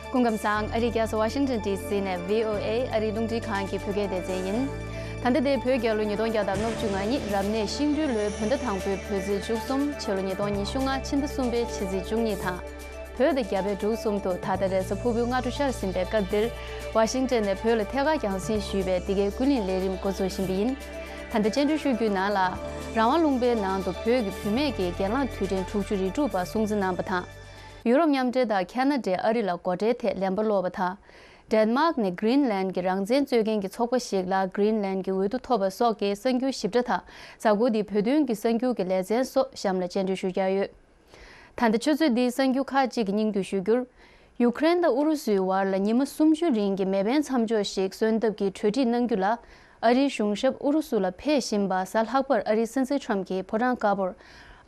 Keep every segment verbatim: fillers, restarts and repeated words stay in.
སྐུ་ཁམས་བཟང་། ཨ་རིའི་རྒྱལ་ས་ཝ་ཤིང་ཊོན་ཌི་སི་ནས་བྷི་ཨོ་ཨེ་ཨ་རིའི་རླུང་འཕྲིན་ཁང་གི་བོད་སྐད་སྡེ་ཚན་ཡིན། ད་ལྟ་དེ་བོད་རྒྱལ་ལོ་ཉིས་སྟོང་བརྒྱ་དང་ལྔ་བཅུ་ང་གཉིས་རབ་གནས་ཤིང་སྦྲུལ་ལོའི་བོད་ཟླ་དང་པོའི་བོད་ཚེས་བཅུ་གསུམ། ཕྱི་ལོ་ཉིས་སྟོང་ཉི་ཤུ་ལྔ་ཕྱི་ཟླ་གསུམ་པའི་ཕྱི་ཚེས་བཅུ་གཉིས་དང་། བོད་དང་རྒྱ་བལ་འབྲུག་གསུམ་དུ་ད་ལྟ་རེས་གཟའ་ཕུར་བུའི་སྔ་དྲོ་ཤར་ཟིན་པའི་སྐབས་འདིར། ཝ་ཤིང་ཊོན་ནས་བོད་ལ་ཐད་ཀར་རྒྱང་སྲིང་ཞུས་པའི་འདི་གའི་ཀུན་གླེང་ལས་རིམ་འགོ་འཛུགས་བཞིན་པ་ཡིན། ད་ལྟ་སྤྱན་འབུལ་ཞུ་རྒྱུའི་ནང་ལ། རང་དབང་ལུང་པའི་ནང་དུ་བོད་ཀྱི་བུད་མེད་ཀྱི་གྱེན་ལངས་དུས་དྲན་དྲུག་ཅུ་རེ་དྲུག་པ་སྲུང་བརྩི་གནང་པ་དང་། ཡུ་རོབ་མཉམ་འབྲེལ་དང་ཁ་ན་ཌས་ཨ་རི་ལ་སྒོ་ཁྲལ་ཐད་ལན་པ་སློག་པ་དང་། ཌེན་མཱག་ནས་གྷི་རིན་ལན་གྱི་རང་བཙན་རྩོད་མཁན་གྱི་ཚོགས་པ་ཞིག་ལ་གྷི་རིན་ལན་གྱི་འོས་བསྡུ་ཐོབ་པ་སོགས་ཀྱི་གསར་འགྱུར་ཞིབ་ཕྲ་དང་། གཟའ་འཁོར་འདིའི་བོད་དོན་གྱི་གསར་འགྱུར་གྱི་ལེ་ཚན་སོགས་གཤམ་ལ་སྤྱན་འབུལ་ཞུ་རྒྱུ་ཡོད། ད་ལྟ་ཆུ་ཚོད་འདིའི་གསར་འགྱུར་ཁག་ཅིག་གི་སྙིང་བསྡུས་ཞུ་རྒྱུར། ཡུ་ཀེ་རེན་དང་ཨུ་རུ་སུའི་བར་ལ་ཉི་མ་སུམ་ཅུའི་རིང་གི་མེ་འཕེན་མཚམས་འཇོག་ཞིག་སོན་ཐབས་ཀྱི་གྲོས་འགྲིག་གནང་རྒྱུ་ལ། ཨ་རིའི་གཞུང་ཞབས་ཨུ་རུ་སུ་ལ་ཕེབས་བཞིན་པ་གཟའ་ལྷག་པར་ཨ་རིའི་སྲིད་འཛིན་ཁྲོམ་གྱིས་ཕོ་བྲང་དཀར་པོར་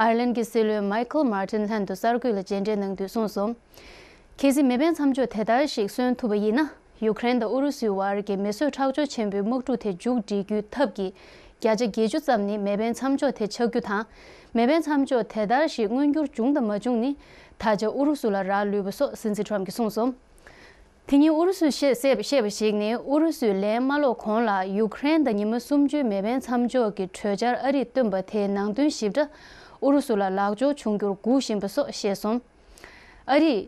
ཨར་ལན་གྱི་སྲིད་བློན་མའི་ཁལ་མར་ཏིན་ལྷན་དུ་གསར་འགོད་ལ་མཇལ་འཕྲད་གནང་དུས་གསུངས་སོང་། གལ་སྲིད་མེ་འཕེན་མཚམས་འཇོག་དེ་ལྟར་ཞིག་སོན་ཐུབ་པ་ཡིན་ན། ཡུ་ཀེ་རེན་དང་ཨུ་རུ་སུའི་བར་གྱི་མེ་གསོད་ཁྲག་སྦྱོར་ཆེན་པོའི་དམག་འཁྲུག་དེ་མཇུག་སྒྲིལ་རྒྱུའི་ཐབས་ཀྱི་བརྒྱ་ཆ་བརྒྱད་ཅུ་ཙམ་ནི་མེ་འཕེན་མཚམས་འཇོག་དེ་ཆགས་རྒྱུ་དང་། མེ་འཕེན་མཚམས་འཇོག་དེ་ལྟར་ཞིག་མངོན་འགྱུར་བྱུང་དང་མ་བྱུང་ནི། ད་ཆ་ཨུ་རུ་སུ་ལ་རག་ལུས་པ་སོགས་སྲིད་འཛིན་ཁྲོམ་གྱིས་གསུངས་སོང་། དེ་ཉིན་ཨུ་རུ་སུས་བཤད་བཤད་པ་ཞིག་ནི། ཨུ་རུ་སུས་ལན་མ་སློག་གོང་ལ་ཡུ་ཀེ་རེན་དང་ཉི་མ་སུམ་ཅུའི་མེ་འཕེན་མཚམས་འཇོག་གི་གྲོས་འཆར་ཨ་རིས་བཏོན་པ་དེའི་ནང་དོན་ཞིབ་ཕྲ་ཨུ་རུ་སུ་ལ་ལག་འབྱོར་བྱུང་རྒྱུར་སྒུག་བཞིན་པ་སོགས་བཤད་སོང་། ཨ་རིས་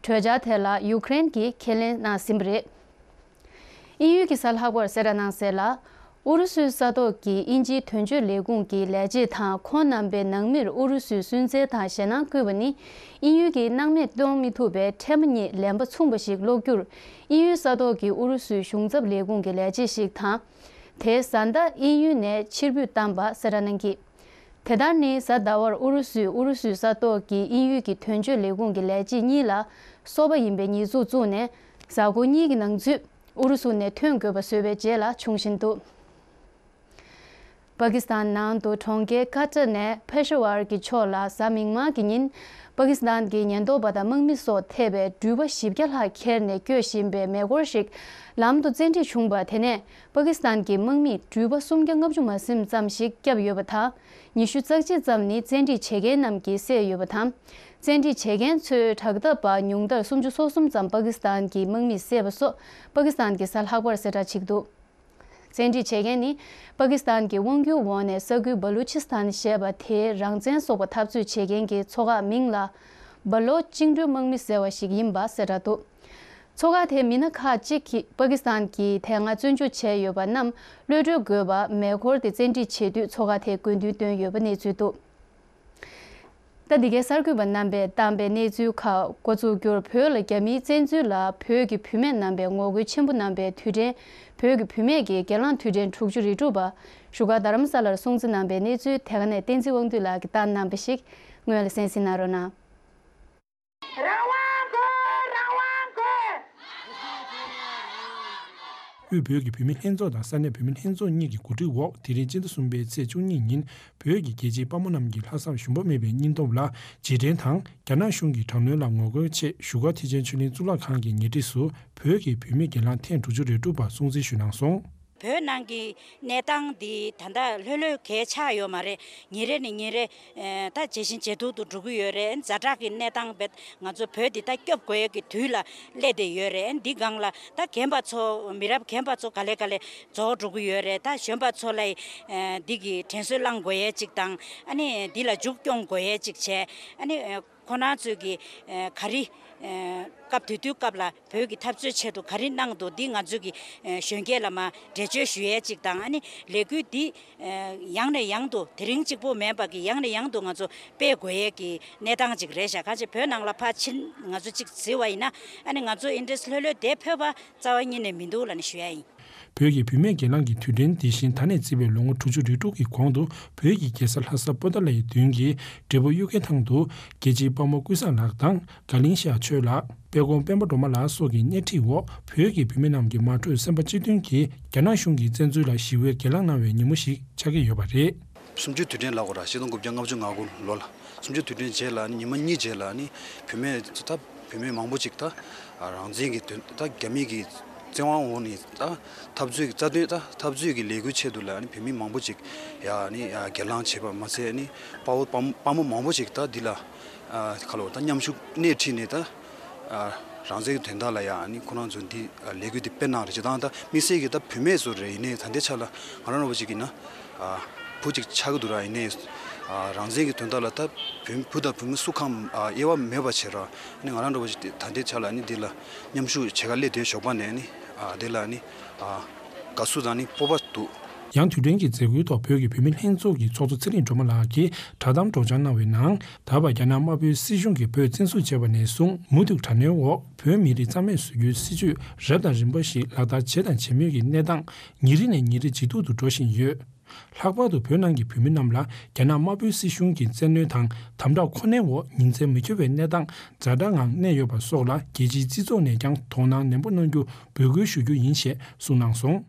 གྲོས་འཆར་དེ་ལ་ཡུ་ཀེ་རེན་གྱིས་ཁས་ལེན་གནང་ཟིན་པ་རེད། དབྱིན་ཡུལ་གྱིས་གཟའ་ལྷག་པར་གསལ་བསྒྲགས་གནང་གསལ་ལ། ཨུ་རུ་སུའི་ས་ཐོག་གི་དབྱིན་ཇིའི་དོན་གཅོད་ལས་ཁུངས་ཀྱི་ལས་བྱེད་དང་ཁོང་རྣམ་པའི་ནང་མིར་ཨུ་རུ་སུའི་སུན་གཙེར་དང་ཞེད་སྣང་བསྐུལ་བ་ནི། དབྱིན་ཡུལ་གྱིས་སྣང་མེད་གཏོང་མི་ཐུབ་པའི་ཕྲད་མོ་གཉིས་ལན་པ་མཚུངས་པ་ཞིག་སློག་རྒྱུར། དབྱིན་ཡུལ་ས་ཐོག་གི་ཨུ་རུ་སུའི་གཞུང་ཚབ་ལས་ཁུངས་ཀྱི་ལས་བྱེད་ཞིག་དང་། དེའི་བཟའ་ཟླ་དབྱིན་ཡུལ་ནས་ཕྱིར་འབུད་བཏང་པ་གསལ་བསྒྲགས་གནང་གིས། དེ་ལྟར་ནི་གཟའ་ཟླ་བར་ཨུ་རུ་སུས་ཨུ་རུ་སུའི་ས་ཐོག་གི་དབྱིན་ཡུལ་གྱི་དོན་གཅོད་ལས་ཁུངས་ཀྱི་ལས་བྱེད་གཉིས་ལ་སོ་པ་ཡིན་པའི་ཉེས་འཛུགས་བཙུགས་ནས། གཟའ་འཁོར་གཉིས་ཀྱི་ནང་ཚུད་ཨུ་རུ་སུ་ནས་ཐོན་དགོས་པ་བཟོས་པའི་རྗེས་ལ་བྱུང་བཞིན་འདུག་པ་ཀི་སི་ཐན་ནང་དུ་གྲོང་ཁྱེར་ཀ་ཏྲ་ནས་ཕེ་ཤ་ཝར་གྱི་ཕྱོགས་ལ་གཟའ་མིག་དམར་གྱི་ཉིན། པ་ཀི་སི་ཐན་གྱི་ཉེན་རྟོག་པ་དང་དམག་མི་སོགས་ཐེ་བའི་འགྲུལ་པ་བཞི་བརྒྱ་ལྷག་ཁྱེར་ནས་སྐྱོད་བཞིན་པའི་མེ་འཁོར་ཞིག་ལམ་དུ་བཙན་ཁྲིད་བྱུང་པ་དེ་ནས། པ་ཀི་སི་ཐན་གྱི་དམག་མིས་འགྲུལ་པ་སུམ་བརྒྱ་ལྔ་བཅུ་མ་ཟིན་ཙམ་ཞིག་བསྐྱབས་ཡོད་པ་དང་། ཉི་ཤུ་རྩ་གཅིག་ཙམ་ནི་བཙན་ཁྲིད་བྱེད་མཁན་རྣམས་ཀྱིས་བསད་ཡོད་པ་དང་། བཙན་ཁྲིད་བྱེད་མཁན་ཚོའི་དྲག་འཐབ་པ་ཉུང་མཐར་སུམ་ཅུ་སོ་གསུམ་ཙམ་པ་ཀི་སི་ཐན་གྱི་དམག་མིས་བསད་པ་སོགས་པ་ཀི་སི་ཐན་གྱིས་གཟའ་ལྷག་པར་གསལ་བསྒྲགས་བྱེད་ཀྱི་འདུག་བཙན་ཁྲིད་བྱེད་མཁན་ནི། པ་ཀི་སི་ཐན་གྱི་དབང་སྒྱུར་འོག་ནས་ས་ཁུལ་བ་ལུ་ཆི་སི་ཐན་ཞེས་པ་དེའི་རང་བཙན་སོགས་པ་འཐབ་རྩོད་བྱེད་མཁན་གྱི་ཚོ་ཁག་མིང་ལ། སྦ་ལོ་བཅིངས་འགྲོལ་དམག་མི་ཟེར་བ་ཞིག་ཡིན་པ་གསལ་བསྒྲགས་འདུག་ཚོ་ཁག་དེའི་མི་སྣ་ཁག་ཅིག་གིས་པ་ཀི་སི་ཐན་གྱིས་དེ་སྔ་བཙོན་འཇུག་བྱས་ཡོད་པ་རྣམས་གློད་གྲོལ་དགོས་པ། མེ་འཁོར་དེ་བཙན་ཁྲིད་བྱེད་དུས་ཚོ་ཁག་དེས་དགོས་འདུན་བཏོན་ཡོད་པ་གནས་ཚུལ་འདུག་ད་འདི་གའི་གསར་འགོད་པ་རྣམ་པས་བཏང་པའི་གནས་ཚུལ་ཁག་འགོ་ཚུགས་རྒྱུར། བོད་ལ་རྒྱ་མིའི་བཙན་འཛུལ་ལ་བོད་ཀྱི་བུད་མེད་རྣམ་པས་ངོ་རྒོལ་ཆེན་པོ་གནང་པའི་དུས་དྲན། བོད་ཀྱི་བུད་མེད་ཀྱི་གྱེན་ལངས་དུས་དྲན་དྲུག་ཅུ་རེ་དྲུག་པ་བཞུགས་སྒར་རྡ་རམ་ས་ལར་སྲུང་བརྩི་གནང་པའི་གནས་ཚུལ་དེ་ག་ནས་བསྟན་འཛིན་དབང་འདུས་ལགས་ཀྱིས་བཏང་གནང་པ་ཞིག་སྔོན་ལ་གསན་གཟིགས་གནང་རོགས་གནང་། རང་དབང་དགོས། རང་དབང་དགོས། དབུས་བོད་ཀྱི་བུད་མེད་ལྷན་ཚོགས་དང་ས་གནས་བུད་མེད་ལྷན་ཚོགས་གཉིས་ཀྱི་གོ་སྒྲིག་འོག་དེ་རིང་སྤྱི་ཟླ་གསུམ་པའི་ཚེས་བཅུ་གཉིས་ཉིན་བོད་ཀྱི་རྒྱལ་གཅེས་དཔའ་མོ་རྣམས་ཀྱི་ལྷག་བསམ་ཞུམ་པ་མེད་པའི་སྙིང་སྟོབས་ལ་རྗེས་དྲན་དང་། རྒྱ་ནག་གཞུང་གི་དྲག་གནོན་ལ་ངོ་རྒོལ་ཆེད་བཞུགས་སྒར་ཐེག་ཆེན་ཆོས་གླིང་གཙུག་ལག་ཁང་གི་ཉེ་འཁྲིས་སུ་བོད་ཀྱི་བུད་མེད་གྱེན་ལངས་ཐེངས་དྲུག་ཅུ་རེ་དྲུག་པ་སྲུང་བརྩི་ཞུས་གནང་སོང་། བོད་ནང་གི་གནས་སྟངས་འདི་ད་ལྟ་ལྷོད་ལྷོད་གས་ཆགས་ཡོད་མ་རེད། ཉིན་རེ་ནས་ཉིན་རེ་ཨ་ད་ཇེ་ཞན་ཇེ་སྡུག་ཏུ་འགྲོ་གི་ཡོད་རེད། ཛ་དྲག་གི་གནས་སྟངས་བེད་ང་ཚོ་བོད་འདི་ད་སྐྱོབ་དགོས་ཡས་ཀྱི་དུས་ལ་སླེབས་བསྡད་ཡོད་རེད། འདི་སྒང་ལ་ད་རྒན་པ་ཚོ་མི་རབས་རྒན་པ་ཚོ་ག་ལེ་ག་ལེ་རྫོགས་འགྲོ་གི་ཡོད་རེད། ད་གཞོན་པ་ཚོ་ལ་ཨ་འདི་གི་དྲན་གསོ་བསླང་དགོས་ཡས་ཅིག་དང་། ཨ་ནི་འདི་ལ་མཇུག་སྐྱོང་དགོས་ཡས་ཅིག་བྱས། ཨ་ནི་ཨ་ཁོ་རང་ཚོས་ཀྱི་ཨ་ག་རེ་ཨ་སྐབས་དེ་དུས་སྐབས་ལ་བོད་ཀྱི་འཐབ་རྩོད་ཆེད་དུ་ག་རེ་གནང་འདུག་འདི་ང་ཚོས་ཀྱི་ཨ་གཞོན་སྐྱེས་ལ་མར་འགྲེལ་བརྗོད་ཞུ་ཡས་ཅིག་དང་། ཨ་ནི་ལས་འགུལ་འདི་ཨ་ཡང་ནས་ཡང་དུ་དེ་རིང་གཅིག་པོ་མིན་པ་གི་ཡང་ནས་ཡང་དུ་ང་ཚོ་སྤེལ་དགོས་ཡས་ཀྱི་གནས་སྟངས་ཅིག་རེད་ཤག་གང་ཅི་བོད་ནང་ལ་ཕར་ཕྱིན་ང་ཚོ་ཅིག་གཟིགས་པ་ཡིན་ན། ཨ་ནི་ང་ཚོ་ཨིན་ཌི་ཡ་ལྷོད་ལྷོད་དེ་ཕེབས་པ་རྩ་བ་ཉིད་ནས་མི་འདུག་ལབ་ནས་ཞུ་ཡ་ཡིན། བོད་ཀྱི་བུད་མེད་གྱེན་ལངས་ཀྱི་དུས་དྲན་འདི་བཞིན་ད་ནས་བརྩིས་པའི་ལོ་ངོ་དྲུག་ཅུ་རེ་དྲུག་གི་གོང་དུ། བོད་ཀྱི་རྒྱལ་ས་ལྷ་ས་པོ་ཏཱ་ལའི་མདུན་གྱི་འབྲས་སྤུངས་གཡུ་རྒྱལ་ཐང་དུ། རྒྱལ་གཅེས་དཔའ་མོ་ཀུན་བཟང་ལགས་དང་། དགའ་གླིང་ཤར་ཆོས་ལགས། དཔལ་གོང་སྤེན་པ་སྒྲོལ་མ་ལགས་སོགས་ཀྱི་སྣེ་ཁྲིད་འོག་བོད་ཀྱི་བུད་མེད་རྣམས་ཀྱིས་མ་གྲོས་སེམས་པ་གཅིག་མཐུན་གྱིས་རྒྱ་ནག་གཞུང་གི་བཙན་འཛུལ་ལ་ཞི་བའི་གྱེན་ལངས་གནང་བའི་ཉིན་མོ་ཞིག་ཆགས་ཀྱི་ཡོད་པ་རེད། སུམ་ཅུ་དུས་དྲན་ལབ་དགོས་ར། ཆིག་སྟོང་དགུ་བརྒྱ་ལྔ་བཅུ་ང་དགུ་ལོ་ལ། སུམ་ཅུ་དུས་དྲན་རྗེས་ལ་ནི་ཉི་མ་གཉིས་རྗེས་ལ་ནི་བུད་མེད་ཚོ་ད་བུད་མེད་མང་པོ་ཅིག་ད་རང་བཙན་གྱི་དོན་ད་རྒྱ་མི་གི་བཙན་དབང་འོག་ནས་ད་འཐབ་རྩོད་ཀྱི་རྩ་དོན་ད་འཐབ་རྩོད་ཀྱི་ལས་འགུལ་ཆེད་དུ་ལ་ནི་བུད་མེད་མང་པོ་ཅིག་ཡ་ནི་ཡ་གྱེན་ལངས་བྱས་པ་མ་ཚད་ནི་དཔའ་བོ་དཔའ་མོ་དཔའ་མོ་མང་པོ་ཅིག་ད་འདི་ལ་ཁ་ལོ་ད་མཉམ་ཞུགས་སྣེ་ཁྲིད་ནས་ད་ རང་བཙན་གྱི་དོན་དག་ལ་ཡང་ཨ་ནི་ཁོ་རང་ཚོ་འདི་ལས་འགུལ་འདི་སྤེལ་གནང་རེད། སྤྱིར་བཏང་ད་དམིགས་བསལ་གྱི་ད་བུད་མེད་ཚོ་རེད། ཡིན་ནའི་ད་ལྟའི་ཆ་ལ་ང་རང་རོ་པ་ཅིག་ཡིན་ན་བུ་ཅིག་ཆགས་ཀྱི་འདུག་ར། ཡིན་ནའི་རང་བཙན་གྱི་དོན་དག་ལ་ད་བུ་བུ་དང་བུ་མོ་སུ་གང་དབྱེ་བ་མེད་པ་བྱས་ར། ཨ་ནི་ང་རང་རོ་པ་ཅིག་ད་ལྟའི་ཆ་ལ་ཨ་ནི་འདི་ལ་མཉམ་ཞུགས་བྱེད་ག་སླེབས་དེ་ཞོགས་པ་ནས་ཨ་ནི་འདི་ལ་ཨ་ནི་དགའ་བསུ་དང་ཨ་ནི་སྤོབས་པ་འདུག། ཡང་དུས་དྲན་གྱི་མཛད་སྒོའི་ཐོག་བོད་ཀྱི་བུད་མེད་ལྷན་ཚོགས་ཀྱི་ཚོགས་གཙོ་ཚེ་རིང་སྒྲོལ་མ་ལགས་ཀྱིས་བསྒྲགས་གཏམ་སྒྲོག་སྦྱང་གནང་བའི་ནང་། ད་བར་རྒྱ་ནག་དམར་པོའི་སྲིད་གཞུང་གིས་བོད་བཙན་བཟུང་བྱས་པ་ནས་བཟུང་མུ་མཐུད་དྲག་གནོན་འོག་བོད་མི་རིགས་རྩ་མེད་བཟོ་རྒྱུའི་སྲིད་བྱུས་རབ་དང་རིམ་པ་ཞིག་ལག་བསྟར་བྱས་དང་བྱེད་མུས་ཀྱི་གནས་སྟངས་ཉིན་རེ་ནས་ཉིན་རེ་ཇེ་སྡུག་ཏུ་འགྲོ་བཞིན་ཡོད། ལྷག་པར་དུ་བོད་ནང་གི་བུད་མེད་རྣམས་ལ་རྒྱ་ནག་དམར་པོའི་སྲིད་གཞུང་གི་བཙན་གནོན་དང་དམ་དྲག་ཁོ་ནའི་འོག་ཉིན་མཚན་མི་འཁྱོལ་བའི་གནས་སྟངས་ཛ་དྲག་ངང་གནས་ཡོད་པ་སོགས་ལ་རྒྱལ་སྤྱིའི་སྤྱི་ཚོགས་ནས་ཀྱང་དོ་སྣང་ནན་པོ་གནང་རྒྱུ་འབོད་སྐུལ་ཞུ་རྒྱུ་ཡིན་ཞེས་གསུངས་གནང་སོང་།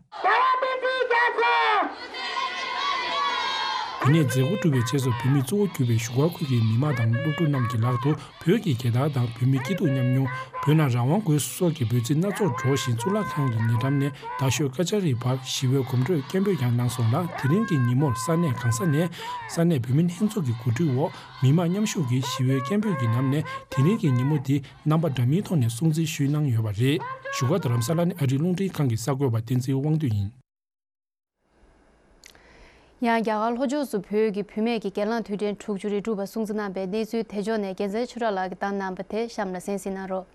དེ་ནས་མཛད་སྒོ་གྲུབ་པའི་རྗེས་སུ་བོད་མིས་གཙོ་བོ་གྱུར་པའི་བཞུགས་སྒར་ཁུལ་གྱི་མི་མང་དང་སློབ་ཕྲུག་རྣམས་ཀྱི་ལག་ཏུ་བོད་ཀྱི་རྒྱལ་དར་དང་བོད་མིའི་སྐྱིད་སྡུག་མཉམ་མྱོང་། བོད་ནང་རང་དབང་དགོས་སོགས་ཀྱི་འབོད་ཚིག་སྣ་ཚོགས་སྒྲོག་བཞིན་གཙུག་ལག་ཁང་གི་ཉེ་འགྲམ་ནས་རྡ་ཤོད་ཀ་ཅ་རིའི་བར་ཞི་བའི་གོམ་བགྲོད་སྐད་འབོད་ཀྱང་གནང་སོང་ལ། དེ་རིང་གི་ཉིན་མོར་ས་གནས་གང་ས་ནས་ས་གནས་བོད་མི་ལྷན་ཚོགས་ཀྱི་གོ་སྒྲིག་འོག་མི་མང་མཉམ་ཞུགས་ཀྱིས་ཞི་བའི་སྐད་འབོད་ཀྱི་ནང་ནས་དེ་རིང་གི་ཉིན་མོ་འདི་རྣམ་པ་འདྲ་མིན་ཐོག་ནས་སྲུང་བརྩི་ཞུས་གནང་ཡོད་པ་རེད། བཞུགས་སྒར་རྡ་རམ་ས་ལ་ནས་ཨ་རིའི་རླུང་འཕྲིན་ཁང་གི་གསར་འགོད་པ་བསྟན་འཛིན་དབང་འདུས་ཡིན། ཡང་རྒྱ་གར་ལྷོ་ཕྱོགས་སུ་བོད་ཀྱི་བུད་མེད་ཀྱི་སྒེར་ལངས་དུས་དྲན་དྲུག་ཅུ་རེ་དྲུག་པ་སྲུང་བརྩི་གནང་པའི་གནས་ཚུལ་དེ་ཕྱོགས་ནས་རྒྱལ་མཚན་ཆོས་གྲགས་ལགས་ཀྱིས་བཏང་གནང་པ་དེ་གཤམ་ལ་གསན་གཟིགས་གནང་རོགས།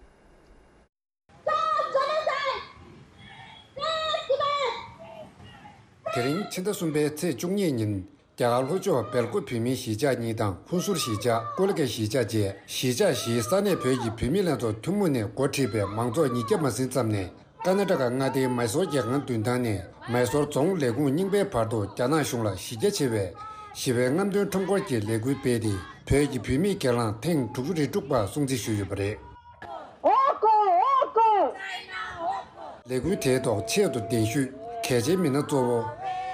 དེ་རིང་ཕྱི་ཟླ་གསུམ་པའི་ཚེས་བཅུ་གཉིས་ཉིན་རྒྱ་གར་ལྷོ་ཕྱོགས་སྦེལ་ཀོབ་བོད་མིའི་གཞིས་ཆགས་གཉིས་དང་ཧུན་སུར་གཞིས་ཆགས་ཀོ་ལི་གྷལ་གཞིས་ཆགས་བཅས་གཞིས་ཆགས་བཞིའི་ས་གནས་བོད་ཀྱི་བུད་མེད་ལྷན་ཚོགས་ཐུན་མོང་ནས་འགོ་ཁྲིད་པའི་མང་ཚོགས་ཉིས་བརྒྱ་མ་ཟིན་ཙམ་ནས། ཀ་ན་ཊ་ཀ་མངའ་སྡེའི་མཱི་སོར་རྒྱལ་ཁང་མདུན་ཐང་ནས་མཱི་སོར་རྫོང་ལས་ཁུངས་རྙིང་པའི་བར་དུ་རྒྱ་ནག་གཞུང་ལ་གཞི་རྒྱ་ཆེ་བའི་ཞི་བའི་རྔམ་སྟོན་ཁྲོམ་སྐོར་གྱི་ལས་འགུལ་སྤེལ་ཏེ། བོད་ཀྱི་བུད་མེད་སྒེར་ལངས་ཐེངས་དྲུག་ཅུ་རེ་དྲུག་པ་སྲུང་བརྩི་ཞུས་ཡོད་པ་རེད། ལས་འགུལ་དེའི་ཐོག་ཆེད་དུ་གདན་ཞུས་གལ་ཆེའི་མི་སྣ་གཙོ་བོ།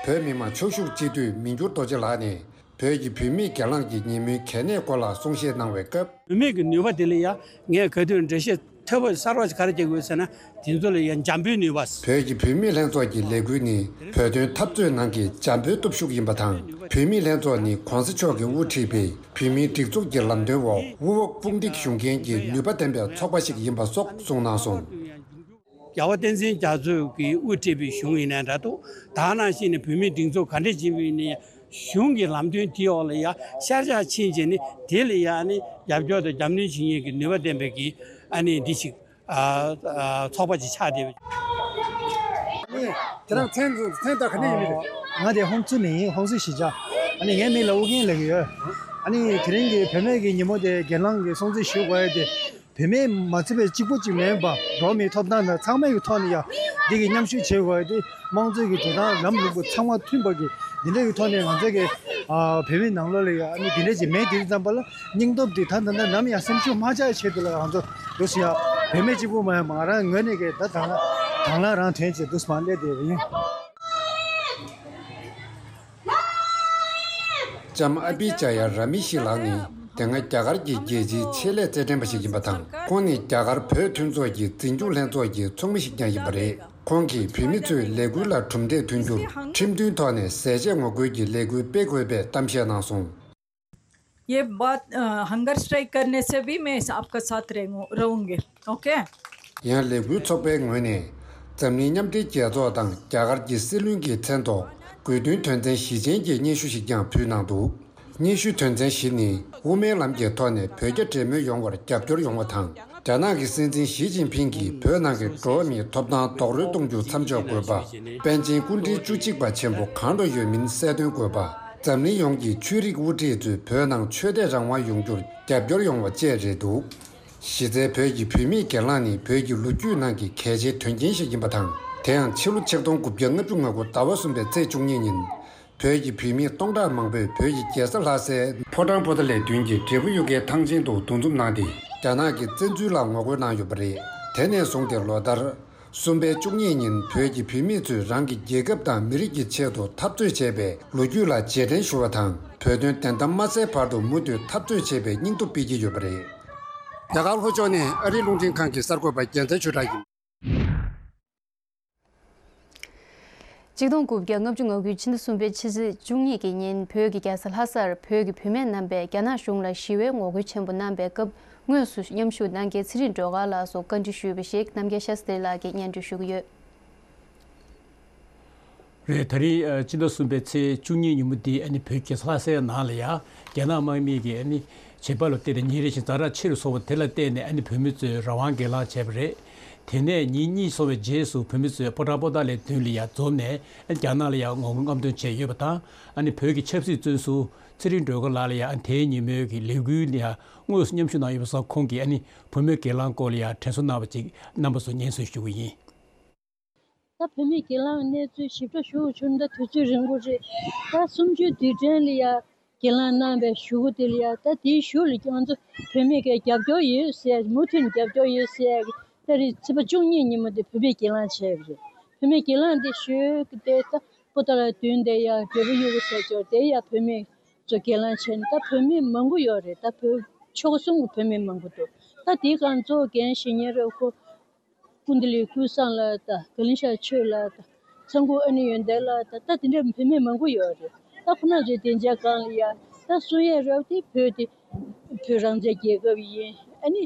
བོད་མི་མང་ཆོས་ཞུགས་སྤྱི་འཐུས་མི་འགྱུར་རྡོ་རྗེ་ལགས་ནས། བོད་ཀྱི་བུད་མེད་སྒེར་ལངས་ཀྱི་ཉིན་མོའི་གལ་གནད་སྐོར་ལ་གསུང་བཤད་གནང་བའི་སྐབས། བུད་མེད་ཀྱི་ནུས་པ་དེ་ལ་ཡང་ངས་ག་དུས་འགྲེལ་བཤད་མཐོ་པོ་གསར་པ་ཞིག་ག་རེ་བྱེད་དགོས་ཟེར་ན། དེ་ཚོ་ལ་ཡང་འཇམ་པོའི་ནུས་པ། བོད་ཀྱི་བུད་མེད་ལྷན་ཚོགས་ཀྱི་ལས་འགུལ་ནི་བོད་དོན་འཐབ་རྩོད་ནང་གི་འཇམ་པོའི་སྟོབས་ཤུགས་ཡིན་པ་དང་། བུད་མེད་ལྷན་ཚོགས་ནི་གོང་ས་མཆོག་གིས་དབུ་ཁྲིད་པའི་བུད་མེད་སྒྲིག་འཛུགས་ཀྱི་ལམ་སྟོན་འོག་དབུ་འོག་དཔུང་སྒྲིག་ཞུ་མཁན་གྱི་ནུས་པ་ལྡན་པའི་ཚོགས་པ་ཞིག་ཡིན་པ་སོགས་གསུངས་གནང་སོང་། རྒྱལ་བ་བསྟན་འཛིན་རྒྱ་མཚོས་ཀྱིས་དབུ་ཁྲིད་པའི་གཞུང་ཡིན་ནའི་འདྲ་འདུག། ད་ནང་བཞིན་ནས་བུད་མེད་སྒྲིག་འཛུགས་ག་འདྲས་ཡིན་པ་ཡིན་ནའི་གཞུང་གི་ལམ་སྟོན་དེའི་འོག་ལ་ཡ་ཤར་ཕྱོགས་ཕྱིན་བྱས་ནས་དེ་ལ་ཡ་ཨ་ནི་རྒྱབ་སྐྱོར་དང་རྒྱབ་སྣོན་བྱེད་མཁན་གྱི་ནུས་པ་ལྡན་པའི་གི་ཨ་ནི་འདི་ཞིག་ཨ་ཨ་ཚོགས་པ་ཅིག་ཆགས་བསྡད་པ། ཁྱེད་རང་མཚན་མཚན་དང་ག་ནས་ཡིན་མིན། ང་དེ་ཧོང་ཙུ་ནས་ཡིན། ཧོང་ཙུ་གཞིས་ཆགས། ཨ་ནི་ངའི་མིང་ལ་ཨུ་རྒྱན་ལབ་ཀྱི་ཡོད། ཨ་ནི་དེ་རིང་གི་བུད་མེད་ཀྱི་ཉིན་མོ་དེ་སྒེར་ལངས་ཀྱི་སྲུང་བརྩི་ཞུ་དགོས་ཡ་དེ། བུད་མེད་མ་ཚད་པའི་གཅིག་པུ་གཅིག་མིན་པ་འགྲོ་བ་མིའི་ཐོབ་ཐང་དང་ཚང་མའི་གི་ཐོག་ནས་ཡང་འདི་གི་མཉམ་ཞུགས་བྱེད་དགོས་ཏེ། དམངས་གཙོའི་གི་འགྲོ་སྟངས་ལམ་ལུགས་པ་ཚང་མ་མཐུན་པ་གི་འདི་འདྲ་གི་ཐོག་ནས་ང་ཚོ་གི་ཨ་བུད་མེད་ནང་ལོགས་ལ་ཡང་ཨ་ནི་འདི་འདྲ་ཅིག་མེད་དེ་ཙམ་པ་ལ་སྙིང་སྟོབས་འདི་ད་ད་ད་ནམ་ཡང་སེམས་ཤུགས་མ་ཆག་ཆེད་དུ་ལ་ང་ཚོ་འདུག་སེ་ཡང་བུད་མེད་གཅིག་པུ་མ་ཡང་ང་རང་ངོས་ནས་གི་ད་དང་དང་བླངས་རང་དོན་བྱེད་འདུག་སེ་མ་སླེབས་བསྡད་པ་ཡིན། ལྕམ་ཨ་བི་ཅ་ཡ་ར་མི་ཤི་ལགས་ནི་དེ་སྔ་རྒྱ་གར་གྱི་རྒྱལ་སྤྱིའི་ཆེད་ལས་རྩེད་འགྲན་པ་ཞིག་ཡིན་པ་དང་། ཁོང་ནི་རྒྱ་གར་བོད་མཐུན་ཚོགས་ཀྱི་འཛིན་སྐྱོང་ལྷན་ཚོགས་ཀྱི་ཚོགས་མི་ཞིག་ཀྱང་ཡིན་པ་རེད། ཁོང་གིས་བུད་མེད་ཚོས་ལས་འགུལ་ལ་གྲུབ་འབྲས་ཐོན་རྒྱུར་ཁྲིམས་མཐུན་ཐོག་ནས་ཟས་བཅད་ངོ་རྒོལ་གྱི་ལས་འགུལ་སྤེལ་དགོས་པའི་གཏམ་བཤད་གནང་སོང་། ये बात, अ, hunger strike करने से भी मैं आपका साथ रहूं-, रहूंगी। ओके। ཡང་ལས་འགུལ་ཚོགས་པའི་ངོས་ནས་འཛམ་གླིང་མཉམ་འབྲེལ་རྒྱལ་ཚོགས་དང་རྒྱ་གར་གྱི་སྲིད་བློན་གྱི་མཚན་ཐོག་དགོས་འདུན་དོན་ཚན་བཞི་ཅན་གྱི་སྙན་ཞུ་ཞིག་ཀྱང་ཕུལ་གནང་འདུག། སྙན་ཞུའི་དོན་ཚན་བཞི་ནི། དབུ་མའི་ལམ་གྱི་ཐོག་ནས་བོད་རྒྱ་འབྲེལ་མོལ་ཡོང་བར་རྒྱབ་སྐྱོར་ཡོང་བ་དང་། རྒྱ་ནག་གི་སྲིད་འཛིན་ཞི་ཅིན་ཕིང་གིས་བོད་ནང་གི་འགྲོ་བ་མིའི་ཐོབ་ཐང་རྡོག་རོལ་གཏོང་རྒྱུ་མཚམས་འཇོག་དགོས་པ། པཎ་ཆེན་སྐུ་ཕྲེང་བཅུ་གཅིག་པ་ཆེན་པོ་གང་དུ་ཡོད་མིན་གསལ་སྟོན་དགོས་པ། འཛམ་གླིང་ཡོངས་ཀྱི་ཆོས་རིག་དབུ་ཁྲིད་ཚོས་བོད་ནང་ཆོས་དད་རང་དབང་ཡོང་རྒྱུར་རྒྱབ་སྐྱོར་ཡོང་བ་བཅས་རེད་འདུག། གཞི་རྩའི་བོད་ཀྱི་བུད་མེད་སྒེར་ལངས་ནི་བོད་ཀྱི་ལོ་རྒྱུས་ནང་གི་གལ་ཆེའི་དོན་རྐྱེན་ཞིག་ཡིན་པ་དང་། དེ་ཡང་ཕྱི་ལོ་ཆིག་སྟོང་དགུ་བརྒྱ་ལྔ་བཅུ་ང་དགུ་ཟླ་བ་གསུམ་པའི་ཚེས་བཅུ་གཉིས་ཉིན། བོད་ཀྱི་བུད་མེད་སྟོང་ཕྲག་མང་པོས་བོད་ཀྱི་རྒྱལ་ས་ལྷ་སའི་ཕོ་བྲང་པོ་ཏཱ་ལའི་མདུན་གྱི་འབྲས་བུ་གཡུ་ཁའི་ཐང་ཆེན་དུ་འདུ་འཛོམས་གནང་སྟེ། རྒྱ་ནག་གི་བཙན་འཛུལ་ལ་ངོ་རྒོལ་གནང་ཡོད་པ་རེད། དེ་ནས་བཟུང་སྟེ་ལོ་ལྟར། གསུམ་པའི་བཅུ་གཉིས་ཉིན་བོད་ཀྱི་བུད་མེད་ཚོས་རང་གི་རྒྱལ་ཁབ་དང་མི་རིགས་ཀྱི་ཆེད་དུ་འཐབ་རྩོད་བྱས་པའི་ལོ་རྒྱུས་ལ་རྗེས་དྲན་ཞུ་བ་དང་། བོད་དོན་བདེན་གཏམ་མ་གསལ་བར་དུ་མུ་མཐུད་འཐབ་རྩོད་བྱེད་པའི་སྙིང་སྟོབས་སྤེལ་གྱི་ཡོད་པ་རེད། རྒྱ་གར་ལྷོ་ཕྱོགས་ནས་ཨ་རིའི་རླུང་འཕྲིན་ཁང་གི་གསར་འགོད་པ་རྒྱལ་མཚན་ཆོས་གྲགས་ཡིན། ཆིག་སྟོང་དགུ་བརྒྱ་ལྔ་བཅུ་ང་དགུའི་ཕྱི་ཟླ་གསུམ་པའི་ཕྱི་ཚེས་བཅུ་གཉིས་ཀྱི་ཉིན་བོད་ཀྱི་རྒྱལ་ས་ལྷ་སར་བོད་ཀྱི་བུད་མེད་རྣམ་པས་རྒྱ་ནག་གཞུང་ལ་ཞི་བའི་ངོ་རྒོལ་ཆེན་པོ་གནང་བའི་སྐབས་དངོས་སུ་མཉམ་ཞུགས་གནང་མཁན་ཚེ་རིང་སྒྲོལ་དཀར་ལགས་སུ་བཀའ་འདྲི་ཞུས་པ་ཞིག་རྣམ་རྒྱལ་ཤཱ་སྟྲི་ལགས་ཀྱིས་སྙན་སྒྲོན་ཞུ་གི་ཡོད། རེད། ད་རིང་ཨ་སྤྱི་ཟླ་གསུམ་པའི་ཚེས་བཅུ་གཉིས་ཉིན་མོ་འདི་ཨ་ནི་བོད་ཀྱི་ལྷ་སའི་ནང་ལ་ཡ་རྒྱ་ནག་དམག་མི་གིས་ཨ་ནི་བྱེད་པ་ལ་བརྟེན་ནས་ཉིན་རེ་བཞིན་ཛ་དྲག་ཆེ་རུ་སོང་བ་དེ་ལ་བརྟེན་ནས་ཨ་ནི་བོད་མི་ཚོས་རང་དབང་སྒེར་ལངས་བྱས་པ་རེད། དེ་ནས་ཉིན་གཉིས་སོང་བའི་རྗེས་སུ་བོད་མི་ཚོས་པོ་ཊ་པོ་ཊ་ལའི་མདུན་ལ་ཡ་འཛོམས་ནས་ཨ་ནི་རྒྱ་ནག་ལ་ཡ་ངོ་རྒོལ་རྔམ་སྟོན་བྱས་ཡོད་པ་དང་། ཨ་ནི་བོད་ཀྱི་ཆབ་སྲིད་བཙོན་ཟུར་ཚེ་རིང་སྒྲོལ་དཀར་ལགས་ལ་ཡ་ཨ་ནི་དེའི་ཉིན་མོའི་གི་ལས་འགུལ་ལ་ཡ་དངོས་སུ་མཉམ་ཞུགས་གནང་ཡོད་པ་སོགས་ཁོང་གིས་ཨ་ནི་བུད་མེད་སྒེར་ལངས་སྐོར་ལ་ཡ་དྲན་གསོ་གནང་བ་ཅིག་རྣམ་པ་ཚོར་སྙན་སེང་ཞུ་གི་ཡིན། ད་བུད་མེད་སྒེར་ལངས་གནས་ཚུལ་ཞིབ་ཕྲ་ཞུ་དགོས་བྱུང་ན་ད་དུས་ཚོད་རིང་པོ་རེད། ད་གསུམ་བཅུའི་དུས་དྲན་ལ་ཡ་སྒེར་ལངས་གནང་བའི་གཞུག་གུ་དེ་ལ་ཡ་ད་དེའི་གཞུག་ལ་ཁྱོད་ཚོ་བུད་མེད་ཀྱི་རྒྱབ་སྐྱོར་ཡོད་ཟེར་ཡ་མུ་མཐུད་ནས་རྒྱབ་སྐྱོར་ཡོད་ཟེར་ཡ་གི་ད་རེས་ཚེས་པ་བཅུ་གཉིས་ཉིན་མོ་དེ་བོད་མེད་སྒེར་ལངས་བྱས་པ་རེད། བུད་མེད་སྒེར་ལངས་དེ་ཞུས་གི་དེ་ད་པོ་ཏཱ་ལའི་མདུན་དེ་ཡ་འབྲས་བུ་གཡུ་གུ་ཟེར་ཅོག་དེ་ཡ་བུད་མེད་ཚོ་སྒེར་ལངས་བྱས་ནས་ད་བུད་མེད་མང་པོ་ཡོད་རེད། ད་བོད་ཕྱོགས་གསུམ་གྱི་བུད་མེད་མང་པོ་འདུག་ད་དེའི་སྒང་གཙོ་བོ་འགན་བཞེས་མཁན་རེད་ཁོ། སྐུ་མདུན་ལས་ཀུན་བཟང་ལགས་དང་དགའ་ལྡན་ཤར་ཆོས་ལགས་དང་ཚང་ཁུག་ཨ་ནེ་ཡོན་ཏན་ལགས་དང་ད་དེ་འདྲའི་བུད་མེད་མང་པོ་ཡོད་རེད། ད་ཁོ་རང་ཚོའི་སྡིངས་ཆའི་སྒང་ལ་ཡ་ད་གསུང་ཡས་རབ་དེ་བོད་དེ་བོད་རང་བཙན་རྒྱལ་ཁབ་ཡིན། ཨ་ནི་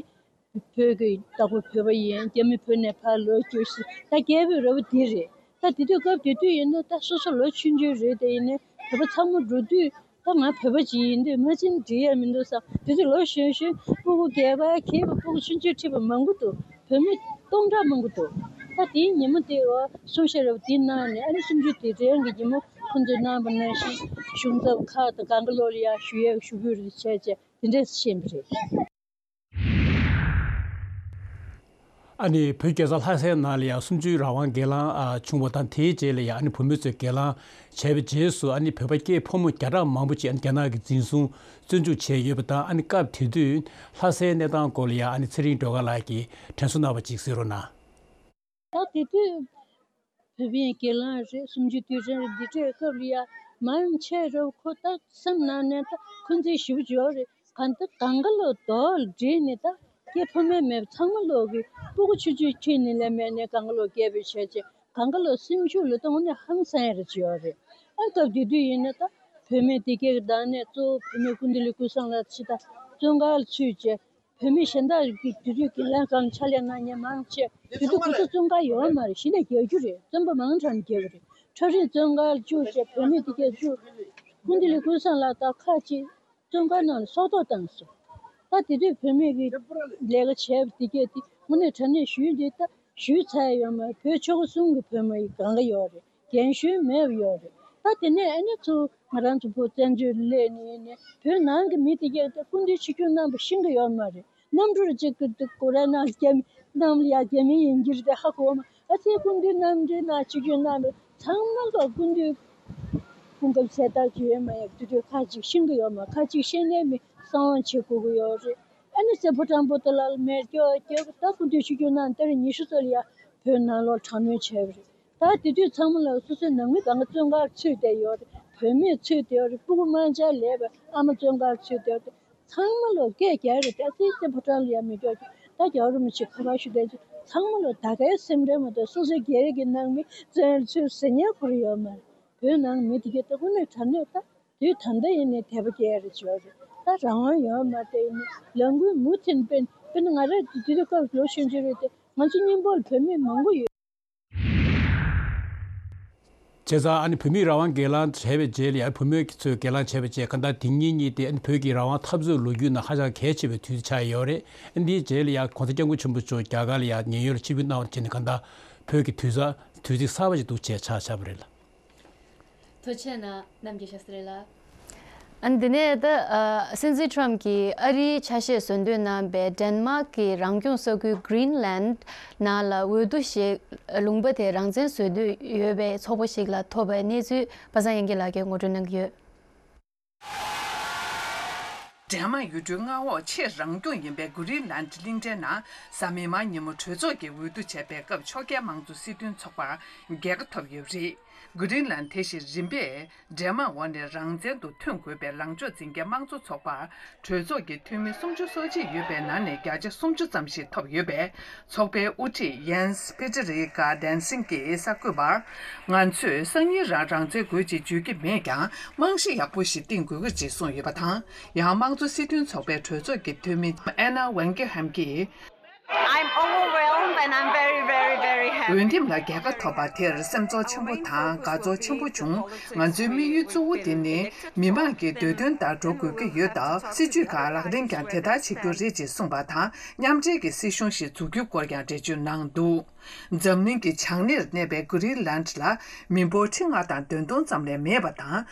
བོད་ཀྱི་བདག་པོ་བོད་པ་ཡིན། རྒྱ་མི་བོད་ནས་ཕར་ལོག་རྒྱུ་ཞིག་ད་རྒྱལ་པོའི་རབ་དེ་རེད། ད་དེ་དུས་སྐབས་དེ་དུས་ཡིན་ན་ད་སོ་སོ་ལོ་ཆུང་ཆུང་རེད། དེ་ཡིན་ནའི་བོད་པ་ཚང་མ་འགྲོ་དུས། ད་ང་བོད་པ་ཅིག་ཡིན་དུས་ང་ཅིན་འགྲིག་ཡ་མི་འདུག་བསམ། དེ་དུས་ལོ་གཞོན་གཞོན་སྤུ་གུ་སྐྱེས་པ་གྱེས་པ་སྤུ་གུ་ཆུང་ཆུང་ཁྲིད་པ་མང་པོ་འདུག་བུད་མེད་སྟོང་ཕྲག་མང་པོ་འདུག་ད་དེའི་ཉིན་མོ་དེ་བ་གསུང་བཤད་རབ་དེའི་ནང་ནས་ཨ་ནི་གསུམ་བཅུའི་དུས་དྲན་གྱི་ཉིན་མོ་ཁོང་ཚོས་གནང་བ་ནང་བཞིན་གཞུང་ཚབ་ཁག་དང་གང་ག་ལོག་ལ་ཡ་ཞུ་ཡས་ཞུ་འབོད་རེ་བྱས་བྱས་དེ་འདྲས་ཕྱིན་པ་རེད། ཨ་ནི་བོད་རྒྱལ་ས་ལྷ་སའི་ནང་ལ་ཡང་གསུམ་བཅུའི་རང་དབང་སྒེར་ལངས་ཨ་བྱུང་བ་དང་། དེའི་རྗེས་ལ་ཡང་ཨ་ནི་བོད་མི་ཚོས་སྒེར་ལངས་བྱས་པའི་རྗེས་སུ། ཨ་ནི་བོད་པ་སྐྱེས་ཕོ་མོ་བརྒྱ་ཕྲག་མང་པོ་ཅིག་ཨ་ནི་རྒྱ་ནག་གིས་འཛིན་བཟུང་བཙོན་འཇུག་བྱས་ཡོད་པ་དང་། ཨ་ནི་སྐབས་དེ་དུས་ལྷ་སའི་གནས་སྟངས་སྐོར་ལ་ཡང་ཨ་ནི་ཚེ་རིང་སྒྲོལ་དཀར་ལགས་ཀྱིས་དྲན་གསོ་གནང་བ་ཅིག་གཟིགས་རོགས་གནང་། ད་དེ་དུས་བོད་པའི་སྒེར་ལངས་རེད། གསུམ་བཅུའི་དུས་དྲན་རེད། འདི་འདྲའི་སྐབས་ལ་ཡ་མང་ཆེ་རུ་ཁོ་ད་སེམས་ནང་ནས་ད་འཁོན་འཛིན་ཞེ་པོ་ཅིག་ཡོད་རེད། གང་ལྟར་གང་ག་ལོ་རྡོ་ལ་བསྒྲིལ་ནས་ད་སྐྱེས་ཕོ་མོ་མེད་པ་ཚང་མ་ལོག་གི་སྤུ་གུ་ཆུང་ཆུང་ཁྱེར་ནས་ལས་མེད་ནས་གང་ག་ལོ་སྐྱེས་པའི་བྱས་རྗེས་གང་ག་ལོ་སེམས་ཤུགས་ལ་གཏོང་ནས་ཧང་སང་ཡ་རེ་ཅིག་ཡོད་རེད། ཨ་སྐབས་དེ་དུས་ཡིན་ན་ད་བུད་མེད་དེ་གའི་བདག་གནས་གཙོ་བོ་བུད་མེད་སྐུ་མདུན་ལས་ཀུན་བཟང་ལགས་ཕྱི་ད་བཙོན་ཁང་ལ་ཚུད་རྗེས། བུད་མེད་གཞན་དག་གིས་དུས་ཚོད་ཀྱི་ལན་གང་ཕྱག་ལས་གནང་མཁན་མང་ཆེ་དུས་ཚོད་ཁོ་ཚོ་བཙོན་ཁང་ཡོད་མ་རེད། གཞི་ནས་རྒྱག་རྒྱུ་རེད། བཙོན་པ་མང་དྲགས་ནས་རྒྱག་གི་རེད། ཁྲ་རིག་བཙོན་ཁང་ལ་བཅུག་བྱས་བུད་མེད་དེ་གས་བཅུག་སྐུ་མདུན་ལས་ཀུན་བཟང་ལགས་དང་ཁག་ཅིག་བཙོན་ཁང་ནང་ལ་སྲོག་ཐོག་བཏང་སོང་། ད་དེ་དུས་བུད་མེད་ཀྱི་ལས་ཀ་བྱས་པ་དེ་གས་དེ་དངོས་གནས་དྲང་གནས་ཞུས་འདི་ད་ཞུས་ཚར་ཡོད་མ་རེད། བོད་ཆོལ་ཁ་གསུམ་གྱི་བུད་མེད་ཡི་གང་ག་ཡོད་རེད། རྒན་གཞོན་མེད་པ་ཡོད་རེད། ད་དེ་ནས་ཨ་ནི་ཚུར་ང་རང་ཚོ་བོད་བཙན་བྱོལ་སླེབས་ནས་ནས་བོད་ནང་གི་མི་དེ་གས་ད་སྐུ་མདུན་ཆིབས་བསྒྱུར་གནང་བ་ཤེས་ཀྱི་ཡོད་མ་རེད། གནམ་གྲུར་གཅིག་གི་སྒོ་རའི་ནང་རྒྱ་མི་གནམ་ལ་ཡ་རྒྱ་མི་ཡིན་གྱི་རེད་དེ་ཧ་གོ་བ་མ། ཨ་ཙི་སྐུ་མདུན་གནམ་གྲུའི་ནང་ཆིབས་བསྒྱུར་གནང་བ་ཚང་མ་ལ་སྐུ་མདུན་སྐུ་ཁམས་གསལ་ཐག་ཆོད་ཡོད་མ་ཡོད་དེ་དུས་ཁ་ཅིག་ཤེས་ཀྱི་ཡོད་མ། ཁ་ཅིག་ཤེས་ནས་མི་གསང་བ་བྱེད་དགོས་ཀྱི་ཡོད་རེད། ཨ་ནི་སྲས་ཕོ་བྲང་པོ་ཏཱ་ལ་ལ་མེ་སྒྱོགས་རྒྱབ་ད་སྐུ་མདུན་ཆིབས་བསྒྱུར་གནང་ད་རེས་ཉི་ཤུ་ཙམ་ལ་ཡ་བོད་ནང་ལོགས་དྲག་གནོན་བྱས་པ་རེད། ད་དེ་དུས་ཚང་མ་ལ་སོ་སོའི་ནང་མི་གང་ག་བཙོན་ཁང་ཚུད་བསྡད་ཡོད་རེད། བུད་མེད་ཚུད་བསྡད་ཡོད་རེད། སྤུ་གུ་དམར་འབྱར་ལས་པའི་ཨ་མ་བཙོན་ཁང་ཚུད་བསྡད་ཡོད་རེད། ཚང་མ་ལོ་སྐད་རྒྱག་རེད། ད་ཙི་ཙི་ཕོ་བྲང་ལ་ཡ་མི་སྐྱོ་རྒྱུ་ད་རྒྱལ་བ་རིན་པོ་ཆེ་ཁ་པར་ཞུ་བསྡད་རྒྱུ་ཚང་མ་ལོ་ད་གའི་སེམས་ཁྲལ་མ་གཏོགས་སོ་སོའི་སྒེར་གྱི་ནང་མི་བཙོན་ཚུད་ཟེར་ཉན་ཁུར་ཡོད་མ་རེད། བོད་ནང་མི་དེ་གས་ད་དངོས་གནས་དྲང་གནས་ད་དུས་ད་ལྟ་ཡིན་ནའི་དད་པ་སྐྱེ་ཡ་རེ་བྱོས་རེད། ད་རང་དབང་ཡོད་མ་རེད། ཡིན་ནའི་ལས་འགུལ་མུ་མཐུད་སྤེལ་སྤེལ་ན་ང་རང་དུས་དུས་སྐབས་ལོ་ཆུང་ཆུང་རེད་དེ་ང་ཚོ་མཉམ་པོ་ལ་བོད་མི་མང་པོ་ཡོད། བྱས་ཙང་ཨ་ནི་བོད་མིའི་རང་དབང་སྒེར་ལངས་བྱས་པའི་རྗེས་ལ་ཡང་བུད་མེད་ཚོས་སྒེར་ལངས་བྱས་པའི་རྗེས་གང་ལྟར་དེ་ཉིན་གཉིས་དེ་ཨ་ནི་བོད་ཀྱི་རང་དབང་འཐབ་རྩོད་ལོ་རྒྱུས་ནང་ཧ་ཅང་གལ་ཆེ་བའི་དུས་ཆགས་ཡོད་རེད། ཨ་ནི་དེའི་རྗེས་ལ་ཡང་གོང་ས་སྐྱབས་མགོན་ཆེན་པོ་མཆོག་རྒྱ་གར་ལ་ཡང་ཉེན་གཡོལ་ལ་ཆིབས་བསྒྱུར་གནང་བ་བྱས་ནས་གང་ལྟར་བོད་ཀྱི་དུས་ས་དུས་ཚིགས་གསར་པ་ཞིག་འདུག་ཅེས་ཆགས་ཆགས་པ་རེད་ལ། ཐུགས་རྗེ་གནང་རྣམ་རྒྱལ་ཤཱ་སྟྲི་ལགས། ཨ་ནི་འདི་ནས་ད་ཨ་སྲིད་འཛིན་ཁྲོམ་གྱིས་ཨ་རིའི་ཆ་ཤས་བཟོ་འདོད་གནང་པའི་ཌེན་མཱག་གི་རང་སྐྱོང་ས་ཁུལ་Greenland་ནང་ལ་འོས་བསྡུ་ཞིག་ལུང་པ་དེ་རང་བཙན་བཟོ་འདོད་ཡོད་པའི་ཚོགས་པ་ཞིག་ལ་ཐོབ་པའི་གནས་ཚུལ་པ་སངས་དབྱངས་སྐྱིད་ལགས་ཀྱིས་ངོ་སྤྲོད་གནང་གི་ཡོད། ཌེན་མཱག་ཡུལ་གྲུའི་མངའ་འོག་ཆེས་རང་སྐྱོང་ཡིན་པའི་གྷུ་རི་ལན་གླིང་ཕྲན་ནང་གཟའ་མིག་དམར་ཉིན་མོ་གྲོས་ཚོགས་ཀྱིས་འོས་བསྡུ་བྱས་པའི་སྐབས་ཕྱོགས་འགལ་དམངས་གཙོ་སྲིད་དོན་ཚོགས་པར་རྒྱལ་ཁ་ཐོབ་ཡོད་པ་རེད། གྷི་རིན་ལན་དེ་བཞིན་རིམ་པས་འདྲེས་མ་འོག་ནས་རང་བཙན་དུ་ཐོན་དགོས་པའི་ལངས་ཕྱོགས་འཛིན་མཁན་དམངས་གཙོ་ཚོགས་པར་གྲོས་ཚོགས་ཀྱི་འཐུས་མི་སུམ་ཅུ་སོ་གཅིག་ཡོད་པའི་ནང་ནས་བརྒྱ་ཆ་སུམ་ཅུ་ཙམ་ཞིག་ཐོབ་ཡོད་པས། ཚོགས་པའི་དབུ་ཁྲིད་ཡེན་སི་ཕི་ཏི་རི་ཀ་ཌན་སིང་གིས་གསར་འགོད་པར། ང་ཚོས་སང་ཉིན་རང་རང་བཙན་དགོས་ཅེས་བརྗོད་ཀྱི་མེད་ཀྱང་། རྨང་གཞི་ཡག་པོ་ཞིག་བཏིང་དགོས་ཀྱི་རེད་གསུངས་ཡོད་པ་དང་། ཡང་དམངས་གཙོ་སྲིད་དོན་ཚོགས་པའི་གྲོས་ཚོགས་ཀྱི་འཐུས་མི་ཨེ་ན་ཝེན་ཀི་ཧམ་གྱིས། I'm overwhelmed and I'm very, very, very happy. འོས་འདེམས་ལ་རྒྱལ་ཁ་ཐོབ་པ་དེར་སེམས་ཚོར་ཆེན་པོ་དང་དགའ་ཚོར་ཆེན་པོ་བྱུང་། ང་ཚོའི་དམིགས་ཡུལ་གཙོ་བོ་དེ་ནི་མི་མང་གི་འདོད་དོན་ལྟར་འགྲོ་དགོས་ཀྱི་ཡོད་སྟབས། སྲིད་ཇུས་ཁག་ལག་ལེན་ཀྱང་དེ་ལྟར་བྱེད་རྒྱུ་རེད་ཅེས་གསུངས་པ་དང་། མཉམ་འབྲེལ་གྱི་སྲིད་གཞུང་ཞིག་འཛུགས་རྒྱུའི་སྐོར་ཀྱང་འགྲེལ་བརྗོད་གནང་འདུག་འཛམ་གླིང་གི་བྱང་སྣེར་གནས་པའི་གྷི་རིན་ལན་ལ་མི་འབོར་ཁྲི་ལྔ་དང་བདུན་སྟོང་ཙམ་ལས་མེད་པ་དང་།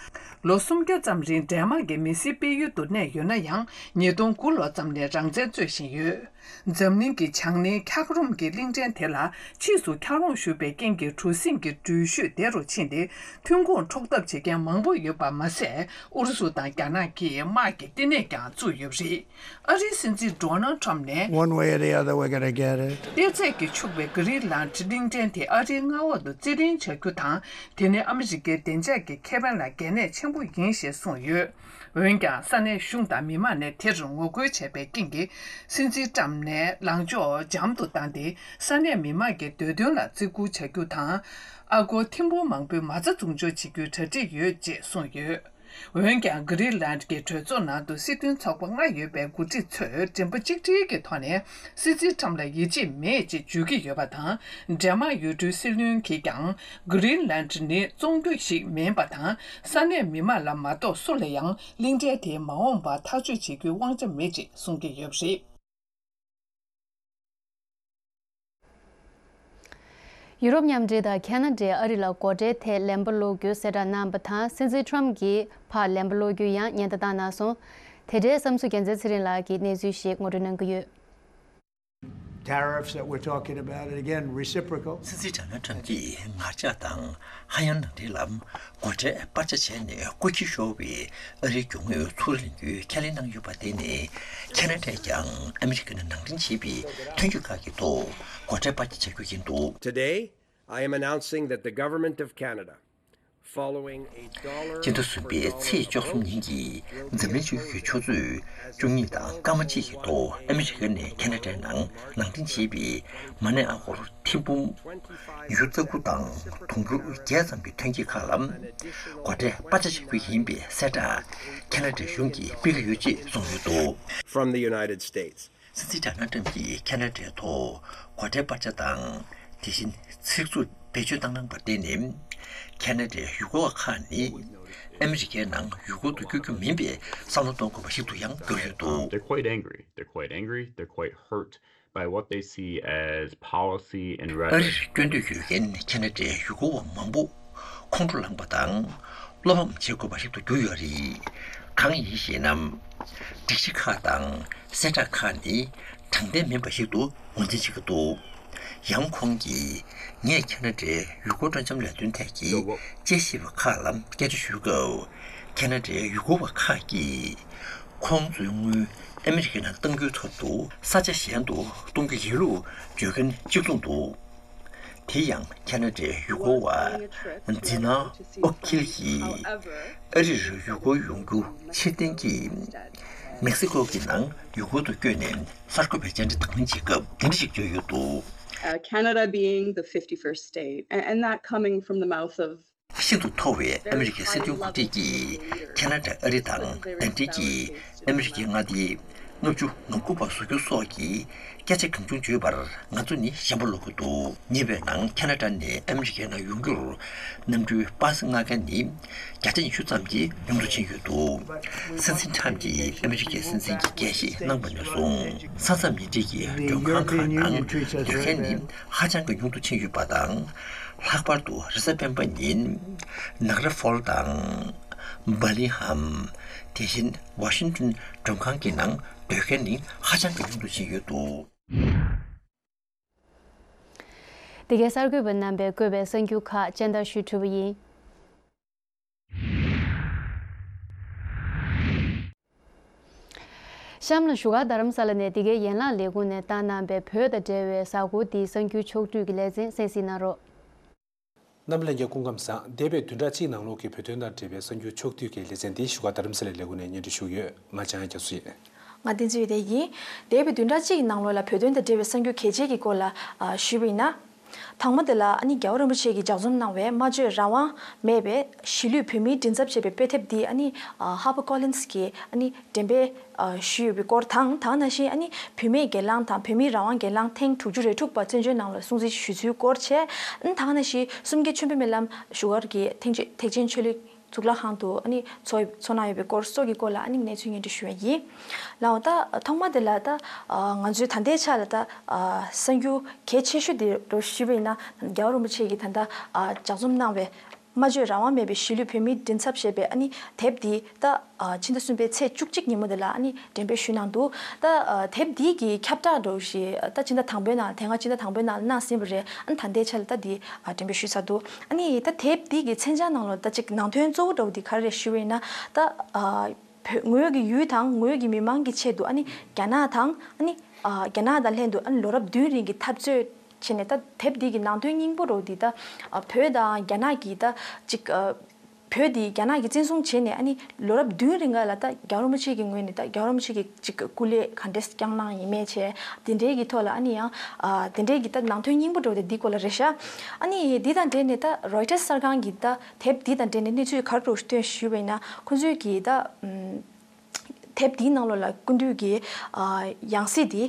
ལོ་སུམ་བརྒྱ་ཙམ་རིང་འདྲེས་མ་གི་མི་སེར་སྤེལ་ཡུལ་དུ་གནས་ཡོད་ན་ཡང་། ཉིས་སྟོང་དགུ་ལོ་ཙམ་ནས་རང་བཙན་རྩོད་བཞིན་ཡོད། འཛམ་གླིང་གི་བྱང་སྣེའི་འཁྱགས་རོམ་གྱི་གླིང་ཕྲན་དེ་ལ་ཕྱིས་སུ་འཁྱགས་རོམ་ཞུགས་པའི་རྐྱེན་གྱིས་གྲུ་གཟིངས་ཀྱི་འགྲུལ་བཞུད་བདེ་རུ་ཕྱིན་ཏེ། ཐོན་ཁུངས་འཕྲོག་ཐབས་བྱེད་མཁན་མང་པོ་ཡོད་པ་མ་ཟད། ཨུ་རུ་སུ་དང་རྒྱ་ནག་གིས་དམག་གི་བསྟི་གནས་ཀྱང་བཙུགས་ཡོད་པ་རེད། ཨ་རིའི་སྲིད་འཛིན་ཌོ་ནལ་ཁྲམ་ནས། One way or the other, we're gonna get it. གཏེར་ཚད་ཀྱིས་ཕྱུག་པའི་གྷི་རིན་ལན་གླིང་ཕྲན་དེ་ཨ་རིའི་མངའ་འོག་ཏུ་རྩིས་ལེན་བྱ་རྒྱུ་དང་། དེ་ནི་ཨ་མི་རི་ཀའི་བདེ་འཇགས་ཀྱི་ཁེ་ཕན་ལ་གལ་གནད་ཆེན་པོ་ཡིན་ཞེས་གསུངས་ཡོད། འོན་ཀྱང་ས་གནས་གཞུང་དང་མི་མང་ནས་དེར་ངོ་རྒོལ་བྱས་པའི་རྐྱེན་གྱིས། སྲིད་འཛིན་ཀྲམ་ནས་ལངས་ཕྱོགས་འཇམ་དུ་བཏང་སྟེ། ས་གནས་མི་མང་གི་འདོད་དོན་ལ་བརྩི་བཀུར་བྱ་རྒྱུ་དང་། ཨ་སྒོར་ཐེར་འབུམ་མང་པོའི་མ་རྩ་འཛུགས་འཇོག་བྱེད་རྒྱུའི་གྲ་སྒྲིག་ཡོད་ཅེས་གསུངས་ཡོད། འོན་ཀྱང་། གྷི་རིན་ལན་གྱི་གྲོས་ཚོགས་ནང་དུ་སྲིད་དོན་ཚོགས་པ་ལྔ་ཡོད་པའི་འགོ་ཁྲིད་ཚོས་མགྲིན་པ་གཅིག་སྒྲིལ་གྱི་ཐོག་ནས། སྲིད་འཛིན་ཁྲམ་ལ་ཡིད་ཆེས་མེད་ཅེས་བརྗོད་ཀྱི་ཡོད་པ་དང་། འབྲེལ་མ་ཡུལ་གྲུའི་སྲིད་བློན་གྱིས་ཀྱང་། གྷི་རིན་ལན་ནི་བཙོང་རྒྱུ་ཞིག་མིན་པ་དང་། ས་གནས་མི་མང་ལ་མ་གཏོགས་སུ་ལ་ཡང་གླིང་ཕྲན་དེའི་མ་འོངས་པ་ཐག་གཅོད་བྱེད་རྒྱུའི་དབང་ཆ་མེད་ཅེས་གསུང་གི་ཡོད་པ་རེད། ཡུ་རོབ་མཉམ་འབྲེལ་དང་ཁ་ན་ཌས་ཨ་རི་ལ་སྒོ་ཁྲལ་ཐད་ལན་པ་སློག་རྒྱུའི་གསལ་བསྒྲགས་གནང་བ་དང་། སྲིད་འཛིན་ཁྲམ་གྱིས་ཕར་ལན་པ་སློག་རྒྱུའི་ཡང་ཉེན་བརྡ་བཏང་གནང་སོང་། དེ་འབྲེལ་བསམ་ཚུལ་རྒྱལ་མཚན་ཚེ་རིང་ལགས་ཀྱིས་གནས་ཚུལ་ཞིག་ངོ་སྤྲོད་གནང་གི་ཡོད། Tariffs that we're talking about, and again, reciprocal. སྲིད་འཛིན་ཌོ་ནལ་ཁྲམ་གྱིས་ངར་ལྕགས་དང་། ཧ་ཡང་ནང་འདྲེན་ལམ། སྒོ་ཁྲལ་སྤར་ཆ་བྱས་ནས་སྐུ་འཁྱིལ་ཤོར་བའི་ཨ་རིའི་རྒྱུ་དངོས་ཚུར་ལེན་རྒྱུའི་ཁས་ལེན་གནང་ཡོད་པ། དེ་ནི་ཁ་ན་ཌས་ཀྱང་ཨ་མི་རི་ཀ་ནས་ནང་འདྲེན་བྱས་པའི་ཐོན་སྐྱེད་ཁག་གི་ཐོག་སྒོ་ཁྲལ་སྤར་ཆ་བྱ་རྒྱུ་ཡིན་འདུག། Today, I am announcing that the government of Canada, following a dollar སྤྱི་ཟླ་གསུམ་པའི་ཚེས་བཅུ་གསུམ་ཉིན་གྱི་འཛམ་གླིང་སྤྱི་ཡོངས་ཀྱི་ཆུ་ཚོད་བཅུ་གཉིས་དང་སྐར་མ་གཅིག་གི་ཐོག་ཨ་མི་རི་ཀ་ནས་ཁ་ན་ཌའི་ནང་ནང་འདྲེན་བྱས་པའི་མ་ཎི་ཨ་སྒོར་ཐེར་འབུམ་ཉི་ཤུ་རྩ་དགུ་དང་དུང་ཕྱུར་བརྒྱད་ཙམ་གྱི་ཐོན་སྐྱེད་ཁག་ལ་སྒོ་ཁྲལ་སྤར་ཆ་བྱ་རྒྱུ་ཡིན་པའི་གསལ་བསྒྲགས་ཁ་ན་ཌའི་གཞུང་གིས་སྤེལ་གྱི་ཡོད་ཅེས་གསུངས་ཡོད་འདུག། From the United States. སྲིད་འཛིན་ཌོ་ནལ་ཏྲམ་གྱིས་ཁ་ན་ཌའི་ཐོག་སྒོ་ཁྲལ་སྤར་ཆ་དང་། དེ་བཞིན་ཚིག་རྩུབ་བེད་སྤྱོད་བཏང་གནང་བར་བརྟེན་ནས། ཁ་ན་ཌའི་ཡུལ་སྐོར་བ་ཁག་ནི། ཨ་མི་རི་ཀའི་ནང་ཡུལ་སྐོར་དུ་བསྐྱོད་རྒྱུ་མིན་པའི་བསམ་བློ་གཏོང་དགོས་པ་ཞིག་ཏུ་ཡང་གྱུར་ཡོད་འདུག། They're quite angry. They're quite angry. They're quite hurt by what they see as policy and rhetoric. ཨ་རིར་སྐྱོད་འདོད་ཡོད་མཁན་ཁ་ན་ཌའི་ཡུལ་སྐོར་བ་མང་པོ་ཁོང་ཁྲོ་ལངས་པ་དང་། བློ་ཕམ་བྱེད་དགོས་པ་ཞིག་ཏུ་གྱུར་ཡོད་རེད། གང་ཡིན་ཞེ་ན། སྒྲིག་གཞི་ཁག་དང་གསལ་བསྒྲགས་ཁག་ནི་དྲང་བདེན་མིན་པ་ཞིག་ཏུ་ངོས་འཛིན་བྱེད་ཀྱི་འདུག། ཡང་ཁོང་གིས་ངས་ཁ་ན་ཌའི་ཡུལ་སྐོར་སྤྲོ་འཆམ་ལས་དོན་ཐད་ཀྱི་དཔྱད་ཞིབ་པ་ཁག་ལ་སྐད་ཆ་ཞུས་སྐབས། ཁ་ན་ཌའི་ཡུལ་སྐོར་བ་ཁག་གིས་ཁོང་ཚོའི་དངུལ་ཨ་མི་རི་ཀའི་ནང་གཏང་རྒྱུའི་ཚབ་ཏུ་ས་ཆ་གཞན་དུ་གཏོང་རྒྱུ་ཡིན་ལུགས་བརྗོད་མཁན་གཅིག་མཚུངས་འདུག། དེ་ཡང་ཁ་ན་ཌའི་ཡུལ་སྐོར་བ་ཛི་ན་ཨོ་ཁིལ་གྱིས་ཨ་རིར་ཡུལ་སྐོར་ཡོང་རྒྱུ་ཕྱིར་འཐེན་གྱིས་མེག་སི་ཀོ་གི་ནང་ཡུལ་སྐོར་དུ་བསྐྱོད་ནས་གསར་འགོད་པའི་བཅར་འདྲི་དང་ལེན་བྱེད་སྐབས་དེ་འདྲ་ཞིག་བརྗོད་ཡོད་འདུག། Uh, Canada being the fifty-first state, and, and that coming from the mouth of ཤིན་ཏུ་མཐོ་བའི་ཨ་མི་རི་ཀའི་སྲིད་དོན་འགོ་ཁྲིད་ཀྱིས་ཁ་ན་ཌ་ཨ་རི་དང་ཟླ་སྒྲིལ་གྱིས་ཨ་མི་རི་ཀའི་མངའ་སྡེ་ལྔ་བཅུ་ང་དགུ་པ་བཟོ་རྒྱུ་སོགས་ཀྱི་སྐད་ཆ་གང་བྱུང་བརྗོད་པར་ང་ཚོ་ནི་ཞེན་པ་ལོག་གི་འདུག། ཉེ་བའི་ནང་ཁ་ན་ཌ་ནས་ཨ་མི་རི་ཀའི་ནང་ཡོང་རྒྱུར་གནམ་གྲུའི་པ་སེ་མངགས་མཁན་ནི་བརྒྱ་ཆ་ཉི་ཤུ་ཙམ་གྱིས་ཉུང་དུ་ཕྱིན་ཡོད་འདུག། སྲིད་འཛིན་ཁྲམ་གྱིས་ཨ་མི་རི་ཀའི་སྲིད་འཛིན་གྱི་འགན་བཞེས་གནང་བ་ནས་བཟུང་ས་མཚམས་མུ་འབྲེལ་གྱི་མགྲོན་ཁང་ཁག་ནང་སྡོད་མཁན་ནི་ཧ་ཅང་གི་ཉུང་དུ་ཕྱིན་ཡོད་པ་དང་། ལྷག་པར་དུ་རེས་གཟའ་སྤེན་པ་ཉིན་ནག་ར་ཧྥོལ་དང་། བྷར་མིང་ཧམ། དེ་བཞིན་ཝ་ཤིང་ཏོན་མགྲོན་ཁང་གི་ནང་སྡོད་མཁན་ནི་ཧ་ཅང་གི་ཉུང་དུ་ཕྱིན་ཡོད་འདུག། འདི་གའི་གསར་འགོད་པ་རྣམ་པས་བཀོད་པའི་གསར་འགྱུར་ཁག་སྤྱན་བསྟར་ཞུ་ཐུབ་པ་ཡིན། གཤམ་ལ་བཞུགས་སྒར་རྡ་རམ་ས་ལ་ནས་འདི་གའི་ཡན་ལག་ལས་ཁུངས་ནས་བཏང་གནང་པའི་བོད་དང་འབྲེལ་བའི་གཟའ་འཁོར་འདིའི་གསར་འགྱུར་ཕྱོགས་བསྡུས་ཀྱི་ལེ་ཚན་གསན་གཟིགས་གནང་རོགས། རྣམ་པ་ལྷན་རྒྱས་སྐུ་ཁམས་བཟང་། འདས་པའི་བདུན་ཕྲག་གཅིག་ནང་ལོགས་ཀྱི་བོད་དོན་དང་འབྲེལ་བའི་གསར་འགྱུར་ཕྱོགས་བསྡུས་ཀྱི་ལེ་ཚན་འདི་བཞུགས་སྒར་རྡ་རམ་ས་ལའི་ལས་ཁུངས་ནས་སྙན་སྒྲོན་ཞུ་གི་ཡོད། ང་འཇམ་དབྱངས་རྒྱ་མཚོ་ཡིན། ང་བསྟན་འཛིན་ཡོད་དེ་ཡིན། འདས་པའི་བདུན་ཕྲག་གཅིག་ནང་ལོགས་ལ་བོད་དོན་དང་འབྲེལ་བའི་གསར་འགྱུར་གལ་ཆེ་གི་སྐོར་ལ་ཨ་ཞུས་པ་ཡིན་ན། དང་པོ་དེ་ལ་ཨ་ནི་རྒྱལ་བ་རིན་པོ་ཆེ་གིས་ལྗགས་རྩོམ་གནང་བའི་སྨྲ་བརྗོད་རང་དབང་མེད་པའི་གཞིས་ལུས་བོད་མིའི་མགྲིན་ཚབ་ཅེས་པའི་དཔེ་དེབ་འདི་ཨ་ནི་ཨ་ཧར་པར་ཀོ་ལིན་སི་གིས་ཨ་ནི་འགྲེམས་སྤེལ་ཨ་ཞུས་ཡོད་པའི་སྐོར་དང་། དེ་ནང་བཞིན་ཨ་ནི་བུད་མེད་སྒེར་ལངས་དང་བོད་མིའི་རང་དབང་སྒེར་ལངས་ཐེངས་དྲུག་ཅུ་རེ་དྲུག་པ་བཙན་བྱོལ་ནང་ལ་སྲུང་བརྩི་ཞུ་ཚུལ་སྐོར་བྱས། ཨ་ནི་དེ་ནང་བཞིན་གསུམ་བརྒྱད་མཆོད་འབུལ་སྨོན་ལམ་བཞུགས་སྒར་གྱི་ཐེག་ཆེན་ཐེག་ཆེན་ཆོས་གླིང་གཙུག་ལག་ཁང་དུ་ཨ་ནི་ཚོགས་ཚོགས་གནང་ཡོད་པའི་སྐོར་སོགས་ཀྱི་སྐོར་ལ་ཨ་ནི་གནས་ཚུལ་སྙན་སྒྲོན་ཞུ་ཡ་ཡིན། ལགས་འོ། ད་ཐོག་མ་དེ་ལ་ད་ང་ཚོའི་ད་ལྟའི་ཆ་ལ་ད་གསར་འགྱུར་གལ་ཆེ་ཤོས་དེ་རུ་ཞུས་པ་ཡིན་ན། རྒྱལ་བ་རིན་པོ་ཆེ་གིས་ད་ལྟ་ལྗགས་རྩོམ་གནང་བའི་སྨྲ་བརྗོད་རང་དབང་མེད་པའི་གཞིས་ལུས་བོད་མིའི་མགྲིན་ཚབ་ཞེས་པའི་ཨ་ནི་དེབ་འདི་ད་ཕྱི་ཟླ་གསུམ་པའི་ཚེས་བཅུ་གཅིག་ཉིན་མོ་དེ་ལ་ཨ་ནི་འགྲེམས་སྤེལ་ཞུས་གནང་འདུག་ད་དེབ་འདི་གི་ཁྱབ་བསྒྲགས་འདྲ་བོ་ཞིག་ད་ཕྱི་ཟླ་དང་པོའི་ནང་ལ། དེ་སྔ་ཕྱི་ཟླ་དང་པོའི་ནང་ལ་གནང་ཟིན་པ་རེད། ཨ་ནི་ད་ལྟའི་ཆ་ལ་ད་འདི་འགྲེམས་སྤེལ་ཞུས་ཚར་འདུག་ཨ་ནི་ད་དེབ་འདི་གི་མཚོན་བྱ་ནང་ལོགས་ད་ཅིག་ནང་དོན་གཙོ་བོ་འདྲ་བོ་འདི་ག་རེ་རེད་ཞུས་པ་ཡིན་ན། ད་བོད་ངོས་ཀྱི་ཡུལ་དང་ངོས་ཀྱི་མི་མང་གི་ཆེད་དུ་ཨ་ནི་རྒྱ་ནག་དང་ཨ་ནི་རྒྱ་ནག་དང་ལྷན་དུ་ཨ་ནི་ལོ་རབས་བདུན་རིང་གི་འཐབ་རྩོད་བྱས་ནས། ད་དེབ་འདི་གི་ནང་དོན་སྙིང་པོ་འདྲ་བོ་འདི་ད་བོད་དང་རྒྱ་ནག་གི་ད་ཅིག་བོད་འདི་རྒྱ་ནག་གིས་བཙན་བཟུང་བྱས་ནས་ཨ་ནི་ལོ་རབས་བདུན་རིང་ག་ལ་ད་རྒྱལ་བ་རིན་པོ་ཆེ་གི་ངོས་ནས་ད་རྒྱལ་བ་རིན་པོ་ཆེ་གི་ཅིག་སྐུ་ལས་ག་འདྲས་བསྐྱངས་གནང་ཡིན་མིན་བྱས། དེ་འདྲའི་གི་ཐོག་ལ་ཨ་ནི་ཡང་ཨ་དེ་འདྲའི་གི་ད་ནང་དོན་སྙིང་པོ་འདྲ་བོ་དེ་འདི་སྐོར་ལ་རེད་ཤག་ཨ་ནི་འདི་དང་འབྲེལ་ནས་ད་རོའི་ཊར་གསར་ཁང་གི་ད་དེབ་འདི་དང་འབྲེལ་ནས་གནས་ཚུལ་ག་རེ་འདྲ་བོ་ཞིག་བཏོན་ཞུས་པ་ཡིན་ན། ཁོང་ཚོས་གི་ད་ཨམ་དེབ་འདིའི་ནང་ལོགས་ལ་སྐུ་མདུན་གྱི་ཨ་ཡང་སྲིད་དེ་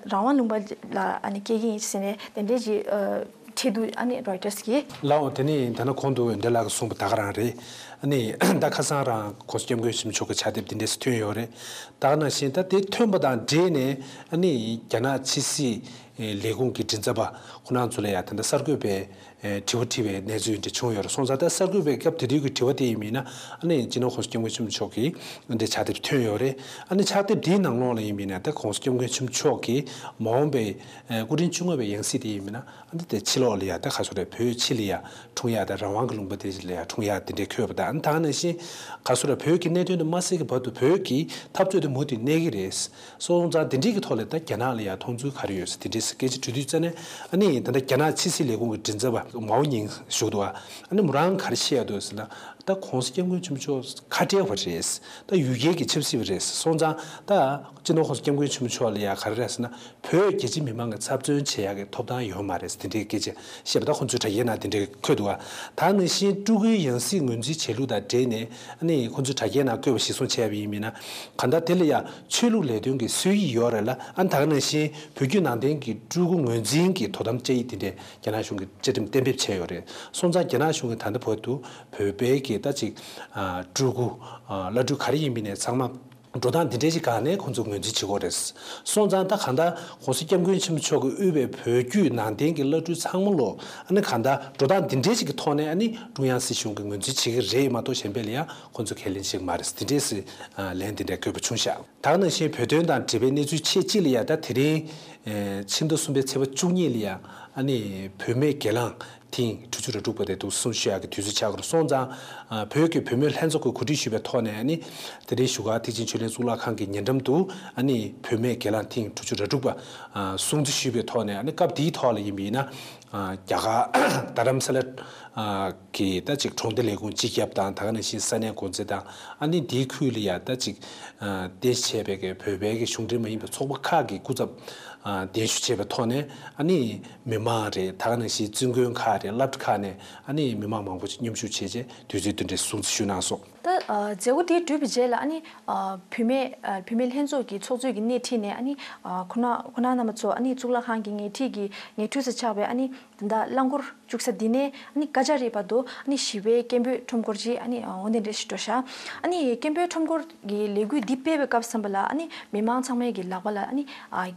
རང་དབང་ལུང་པ་ལ་ཨ་ནི་སྐྱེལ་གྱི་ཡིན་ཟེར་ནས་དེ་འདྲའི་ཅིག་ཨ་བྲིས་འདུག་ཨ་ནི་རོའི་ཊར་གྱིས། ལགས་འོང་། དེ་ནས་ད་ནི་གོང་དུ་འོན་ཏེ་ལགས་ཀྱིས་གསུངས་པ་ད་ག་རང་རེད། ཨ་ནི་ད་ཁ་སང་རང་༸གོང་ས་༸སྐྱབས་མགོན་ཆེན་པོ་མཆོག་གི་ཕྱག་དེབ་འདི་འདྲས་སུ་ཐོན་ཡོད་རེད། ད་ག་ནང་བཞིན་ད་དེ་ཐོན་པ་དང་འབྲེལ་ནས་ཨ་ནི་རྒྱ་ནག་ཕྱི་སྲིད་ལས་ཁུངས་ཀྱི་མགྲིན་ཚབ་པ་ཁོང་རྣམ་ཚོ་ལ་ཡང་ད་ལྟ་གསར་འགོད་པས་ཨེ་དྲི་བ་དྲིས་པའི་གནས་ཚུལ་འདི་བྱུང་ཡོད་རེད། སོང་ཙང་ད་གསར་འགོད་པས་སྐབས་དེ་དུས་ཀྱི་དྲི་བ་དེ་ཡིན་མིན་ན། ཨ་ནི་སྤྱི་ནོར་༸གོང་ས་༸སྐྱབས་མགོན་ཆེན་པོ་མཆོག་གི་འདི་ཕྱག་དེབ་ཐོན་ཡོད་རེད། ཨ་ནི་ཕྱག་དེབ་དེའི་ནང་ལོགས་ལ་ཡིན་མིན་ན་ད་༸གོང་ས་༸སྐྱབས་མགོན་ཆེན་པོ་མཆོག་གིས་མ་འོངས་པའི་ཨ་སྐུ་ཕྲེང་བཅོ་ལྔ་པའི་ཡང་སྲིད་དེ་ཡིན་མིན་ན། ཨ་ནི་དེ་ཕྱི་ལོགས་ལ་ཡ་ད་ག་ཚོད་རེད། བོད་ཕྱི་ལ་ཡ་འཁྲུངས་ཡ་དང་རང་དབང་གི་ལུང་པ་དེ་ལ་ཡ་འཁྲུངས་ཡ་དེ་འདྲའི་འཁོད་པ་དང་། ཨ་ནི་ད་ག་ནང་བཞིན་ག་ཚོད་རེད། བོད་ཀྱི་གནད་དོན་དེ་མ་སེལ་གྱི་བར་དུ་བོད་ཀྱི་འཐབ་རྩོད་དེ་མུ་མཐུད་གནས་ཀྱི་རེད། སོང་ཙང་དེ་འདྲའི་གི་ཐོག་ལ་ད་རྒྱ་ནག་ལ་ཡང་མཐོང་ཚུལ་ག་རེ་ཡོད་ཟེར་དེ་འདྲའི་སྐད་ཆ་དྲི་དུས་ཙ་ནས། ཨ་ནི་ད་ལྟ་རྒྱ་ནག་ཕྱི་སྲིད་ལས་ཁུངས་ཀྱི་མགྲིན་ཚབ་པ་མའོ་ཉིང་ཞུ་འདུག་ཨ་ནི་མོ་རང་ག་རེ་བཤད་ཡ་འདུག་ཟེར་ན། ད་༸གོང་ས་༸སྐྱབས་མགོན་ཆེན་པོ་མཆོག་ཁ་བྲལ་བ་རེད། ད་ཡུལ་སྐད་ཀྱི་ཆབ་སྲིད་པ་རེད། སོང་ཙང་ད་སྤྱི་ནོར་༸གོང་ས་༸སྐྱབས་མགོན་ཆེན་པོ་མཆོག་ལ་ཡང་ག་རེ་རེད་ཟེར་ན། བོད་རྒྱ་ཆེ་མི་མང་གི་ཚབ་མཚོན་བྱེད་ཡག་གི་ཐོབ་ཐང་ཡོད་མ་རེད་ཟེར་དེ་འདྲའི་སྐད་ཆ་བཤད་པ་ད་ཁོང་ཚོའི་དྲ་རྒྱའི་ནང་དེ་འདྲའི་འཁོད་འདུག་ཨ། ད་ནང་བཞིན་སྤྲུལ་སྐུའི་ཡང་སྲིད་ངོས་འཛིན་བྱེད་ལུགས་དང་འབྲེལ་ནས་ཨ་ནི་ཁོང་ཚོའི་དྲ་རྒྱའི་ནང་བཀོད་པ་གཞིར་བཟུང་བྱས་པ་ཡིན་མིན་ན། གང་ལྟར་དེ་ལ་ཡང་ཆོས་ལུགས་ལས་དོན་གྱི་སྲོལ་ཡིག་ཡོད་རེད་ལ། ཨ་ནི་ད་ག་ནང་བཞིན་བོད་བརྒྱུད་ནང་བསྟན་གྱི་སྤྲུལ་སྐུ་ངོས་འཛིན་གྱི་དོ་དམ་བཅའ་ཡིག་དེ་འདྲས་རྒྱ་ནག་གཞུང་གིས་བཅའ་ཁྲིམས་གཏན་འབེབས་བྱས་ཡོད་རེད། སོང་ཙང་རྒྱ་ནག་གཞུང་གིས་ད་ལྟ་བར་དུ་བོད་པའི་གི་ད་ཅིག་ཨ་སྤྲུལ་སྐུ་ཨ་བླ་སྤྲུལ་ག་རེ་ཡིན་མིན་ནས་ཚང་མ་འགྲོ་སྟངས་འདི་འདྲའི་ཞིག་སྒང་ནས་ཁོང་ཚོ་ངོས་འཛིན་བྱེད་ཀྱི་ཡོད་རེད། སོང་ཙང་ད་གང་ལྟར་༸གོང་ས་༸སྐྱབས་མགོན་ཆེན་པོ་མཆོག་གིས་དབུས་པའི་བོད་བརྒྱུད་ནང་བསྟན་གྱི་བླ་སྤྲུལ་ཚང་མ་ལོ་ཨ་ནི་གང་ལྟར་འགྲོ་སྟངས་འདི་འདྲའི་ཞིག་གི་ཐོག་ནས་ཨ་ནི་ཀྲུང་དབྱང་སྲིད་གཞུང་གིས་ངོས་འཛིན་བྱེད་ཀྱི་རེད་མ་གཏོགས་གཞན་པ་ལ་ཡང་ཁོང་ཚོ་ཁས་ལེན་བྱེད་ཀྱི་མ་རེད། འདི་འདྲའི་སྲིད་ལན་འདི་འདྲའི་བཀོད་པ་བྱུང་ཤག་ད་ག་ནང་བཞིན་བོད་དོན་དང་འབྲེལ་བའི་གནས་ཚུལ་ཆེད་གཅིག་ལ་ཡང་ད་དེ་རིང་ཕྱི་ཟླ་གསུམ་པའི་ཚེས་པ་བཅུ་གཉིས་ལ་ཡང་ཨ་ནི་བུད་མེད་སྒེར་ལངས་ཐེངས་དྲུག་ཅུ་རེ་དྲུག་པ་དེ་འདུག་སེ་གསུང་ཞུ་ཡག་གི་དུས་ཚོད་ཆགས་ཀྱི་རེད། སོང་ཙང་བོད་ཀྱི་བུད་མེད་ལྷན་ཚོགས་ཀྱིས་གོ་སྒྲིག་ཞུས་པའི་ཐོག་ནས་ཨ་ནི་དེ་རིང་བཞུགས་སྒར་ཐེག་ཆེན་ཆོས་གླིང་གཙུག་ལག་ཁང་གི་ཉེ་འགྲམ་དུ་ཨ་ནི་བུད་མེད་སྒེར་ལངས་ཐེངས་དྲུག་ཅུ་རེ་དྲུག་པ་སྲུང་བརྩི་ཞུས་པའི་ཐོག་ནས། ཨ་ནི་སྐབས་དེའི་ཐོག་ལ་ཡིན་པ་ཡིན་ན་རྒྱ་གར་རྡ་རམ་ས་ལ་གི་ད་ཅིག་གྲོང་སྡེ་ལས་ཁུངས་སྤྱི་ཁྱབ་དང་། ད་ག་ནང་བཞིན་ས་གནས་འགོ་འཛིན་དང་། ཨ་ནི་དེའི་ཁུལ་ལ་ཡང་ད་ཅིག་རྟེན་གཞི་བྱས་པའི་གི་བོད་པའི་གི་གཞུང་འབྲེལ་མ་ཡིན་པའི་ཚོགས་པ་ཁག་གི་སྐུ་ཚབ་གདན་ཞུ་བྱས་པའི་ཐོག་ནས་ཨ་ནི་མི་མང་རེད། ད་ག་ནང་བཞིན་བཙུན་དགོན་ཁག་རེད། སློབ་གྲྭ་ཁག་ནས་ཨ་ནི་མི་མང་མང་པོ་ཞིག་མཉམ་ཞུགས་བྱས་རྗེས་དུས་ཚོད་འདི་འདྲའི་སྲུང་བརྩི་ཞུས་གནང་སོང་། ད་ཨ་མཛད་སྒོ་དེ་གྲུབ་པའི་རྗེས་ལ་ཨ་ནི་ཨ་བུད་མེད་ཨ་བུད་མེད་ལྷན་ཚོགས་ཀྱི་ཚོགས་གཙོས་ཀྱི་སྣེ་ཁྲིད་ནས་ཨ་ནི་ཨ་ཁོང་ཁོང་རྣམ་པ་ཚོ་ཨ་ནི་གཙུག་ལག་ཁང་གི་ཉེ་འཁྲིས་ཀྱི་ཉེ་འཁྲིས་སུ་ཆགས་པའི་ཨ་ནི་ད་ལྟ་རླངས་འཁོར་བཅུག་ས་འདི་ནས་ཨ་ནི་ཀ་ཅ་རི་བར་དུ་ཨ་ནི་ཞི་བའི་སྐད་འབོད་ཁྲོམ་སྐོར་ཅིག་ཨ་ནི་འོ་འདི་འདྲ་ཞིག་འགྲོ་ཤག་ཨ་ནི་སྐད་འབོད་ཁྲོམ་སྐོར་གྱི་ལས་འགུལ་འདི་སྤེལ་བའི་སྐབས་ཙམ་པ་ལ་ཨ་ནི་མི་མང་ཚང་མའི་གི་ལག་པ་ལ་ཨ་ནི་ཨ་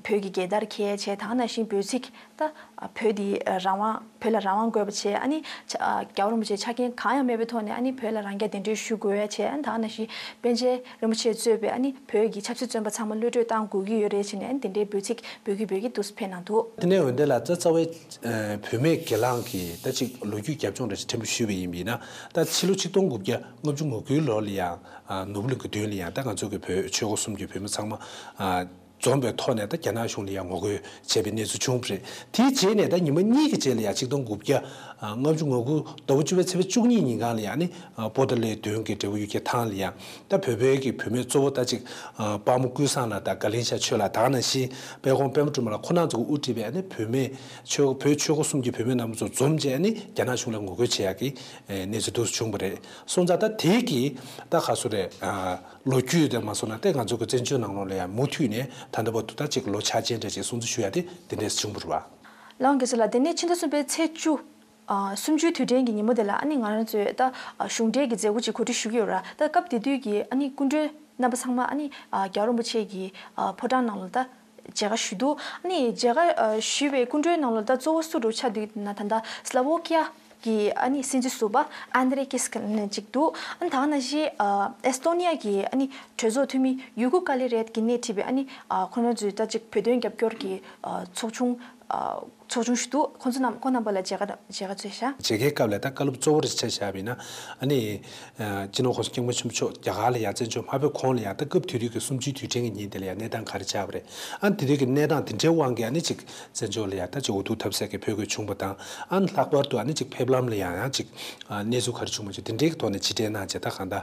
བོད་ཀྱི་རྒྱལ་དར་འཁྱེར་བྱས། ད་ག་ནང་བཞིན་འབོད་ཚིག་ད་བོད་འདི་རང་དབང་བོད་ལ་རང་དབང་དགོས་པ་བྱས། ཨ་ནི་ཆ་ཨ་རྒྱལ་བ་རིན་པོ་ཆེ་ཆ་རྐྱེན་གང་ཡང་མེད་པའི་ཐོག་ནས་ཨ་ནི་བོད་ལ་རང་རྐྱ་གདན་འདྲེན་ཞུ་དགོས་པ་བྱས། ཨ་ནི་ད་ག་ནང་བཞིན་པཎ་ཆེན་རིན་པོ་ཆེ་གཙོས་པའི་ཨ་ནི་བོད་ཀྱི་ཆབ་སྲིད་བཙོན་པ་ཚང་མ་གློད་གྲོལ་གཏང་དགོས་ཀྱི་ཡོད་རེད་བྱས་ནས། ཨ་ནི་དེ་འདྲའི་འབོད་ཚིག་འབོད་ཀྱི་འབོད་ཀྱི་འདུག་སེ་ཕེབས་གནང་འདུག་དེ་ནས་འོན་ཏེ་ལ་རྩ་རྩ་བའི་ཨ་བུད་མེད་སྒེར་ལངས་ཀྱི་ད་ཅིག་ལོ་རྒྱུས་རྒྱབ་ལྗོངས་འདྲ་ཞིག་ཕྲན་བུ་ཞུས་པ་ཡིན་པ་ཡིན་ན། ད་ཕྱི་ལོ་ཆིག་སྟོང་དགུ་བརྒྱ་ལྔ་བཅུ་ང་དགུའི་ལོ་ལ་ཡང་ཨ་ནོར་བུ་གླིང་གི་མདུན་ལ་ཡང་ད་ང་ཚོ་གི་བོད་ཆོལ་ཁ་གསུམ་གྱི་བུད་མེད་ཚང་མ་ཨ་ འཛོམས་པའི་ཐོག་ནས་ད་རྒྱ་ནག་གཞུང་ལ་ཡང་ངོ་རྒོལ་བྱས་པའི་གནས་ཚུལ་བྱུང་བ་རེད། དེའི་རྗེས་ནས་ད་ཉི་མ་གཉིས་ཀྱི་རྗེས་ལ་ཡང་ཆིག་སྟོང་དགུ་བརྒྱ་ལྔ་བཅུ་ང་དགུ་ཟླ་བ་བཅུ་པའི་ཚེས་པ་བཅུ་གཉིས་ཉིན་གང་ལ་ཡང་ནི་པོ་ཏཱ་ལའི་མདུན་གྱི་འབྲས་བུ་གཡུ་རྒྱལ་ཐང་ལ་ཡང་ད་བོད་པའི་གི་བུད་མེད་གཙོ་བོ་ད་ཅིག་དཔལ་མོ་ཀུན་བཟང་ལགས་དང་དགའ་ལན་ཤཱ་ཆོས་ལགས་དེ་ནང་བཞིན་དཔལ་ཁོང་པད་མ་སྒྲོལ་མ་ལགས་ཁོང་རྣམ་ཚོ་གིས་དབུ་ཁྲིད་པའི་ནི་བུད་མེད་ཆོས་བོད་ཆོས་སྐོར་གསུམ་གྱི་བུད་མེད་རྣམ་པ་ཚོ་འཛོམས་བྱས་ནི་རྒྱ་ནག་གཞུང་ལ་ངོ་རྒོལ་བྱེད་ཡག་གི་གནས་ཚུལ་འདུག་བྱུང་བ་རེད། སོང་ཙང་ད་དེའི་གི་ད་ག་ཚོད་རེད། ལོ་རྒྱུས་དེ་མ་སོང་ན་ཏེ་ང་ཚོ་གི་བཙན་བྱོལ་ནང་ལོགས་ལ་ཡང་མུ་མཐུད་ནས་ད་ལྟ་བར་དུ་ད་ཅིག་ལོ་འཆར་ཅན་འདྲ་ཅིག་སྲུང་བརྩི་ཞུ་ཡ་དེ་དེ་འདྲས་བྱུང་བ་རེད་བ། ལགས་འོང་རྒྱལ་མཚན་ལགས། དེ་ནས་ཕྱི་ཟླ་གསུམ་པའི་ཚེས་བཅུ། ཨ་གསུམ་བཅུའི་དུས་དྲན་གྱི་ཉིན་མོ་དེ་ལ་ཨ་ནི་ང་རང་ཚོས་ད་ཨ་གཞུང་འབྲེལ་གྱི་མཛད་སྒོ་ཅིག་གོ་སྒྲིག་ཞུ་གི་ཡོད་ར། ད་སྐབས་དེ་དུས་ཀྱི་ཨ་ནི་སྐུ་མགྲོན་རྣམ་པ་ཚང་མ་ཨ་ནི་ཨ་རྒྱལ་བ་རིན་པོ་ཆེ་གི་ཨ་ཕོ་བྲང་ནང་ལ་ད་མཇལ་ཁ་ཞུས་འདུག་ཨ་ནི་མཇལ་ཁ་ཨ་ཞུས་པའི་སྐུ་མགྲོན་ནང་ལོགས་ད་གཙོ་བོ་སུ་རུ་ཆགས་འདུག་ན་ད་ལྟ་སླ་བོ་ཀི་ཡ་གི་ཨ་ནི་སྲིད་འཛིན་ཟུར་པ་ཨན་དྲེ་ཀིས་ཀ་ནན་ཅིག་འདུག་ཨ་ནི་ད་ག་ནང་བཞིན་ཨ་ཨེ་སི་ཏོ་ནི་ཡ་གི་ཨ་ནི་གྲོས་ཚོགས་འཐུས་མི་ཡུ་གུ་ཀ་ལི་རེད་ཀྱིས་སྣེ་ཁྲིད་པའི་ཨ་ནི་ཨ་ཁོང་རྣམ་ཚོའི་ད་ཅིག་བོད་དོན་རྒྱབ་སྐྱོར་གྱི་ཨ་ཚོགས་ཆུང་ཨ་ཚོགས་ཆུང་ཞིག་འདུག་ཁོང་ཚོ་རྣམས་ཁོང་རྣམ་པ་ལ་མཇལ་ཁ་མཇལ་ཁ་བཅས་ཤག་མཇལ་ཁའི་སྐབས་ལ་ད་བཀའ་སློབ་གཙོ་བོར་ཆ་བཞག་པ་ཡིན་ན་ཨ་ནི་ཨ་སྤྱི་ནོར་༸གོང་ས་༸སྐྱབས་མགོན་ཆེན་པོ་མཆོག་རྒྱ་གར་ལ་ཡང་བཙན་བྱོལ་མ་ཕེབས་གོང་ལ་ཡང་ད་སྐབས་དེ་དུས་ཀྱི་གསུམ་བཅུའི་དུས་དྲན་གྱི་ཉིན་དེ་ལ་ཡང་གནས་སྟངས་ག་རེ་ཆགས་པ་རེད། ཨ་ནི་དེ་དུས་ཀྱི་གནས་སྟངས་དེ་འདྲའི་དབང་གིས་ཨ་ནི་ཅིག་བཙན་བྱོལ་ལ་ཡང་ད་ཅིག་འུ་ཐུག་ཐབས་ཟད་ཀྱི་ཕོག་དགོས་བྱུང་བ་དང་། ཨ་ནི་ལྷག་པར་དུ་ཨ་ནི་ཅིག་ཕེབས་ལམ་ལ་ཡང་ཡང་ཅིག་ཨ་གནས་ཚུལ་ག་རེ་བྱུང་མ་བྱུང་དེ་འདྲའི་གི་ཐོག་ནས་ཕྱིར་དྲན་གནང་བྱས་ད་གང་ལྟར་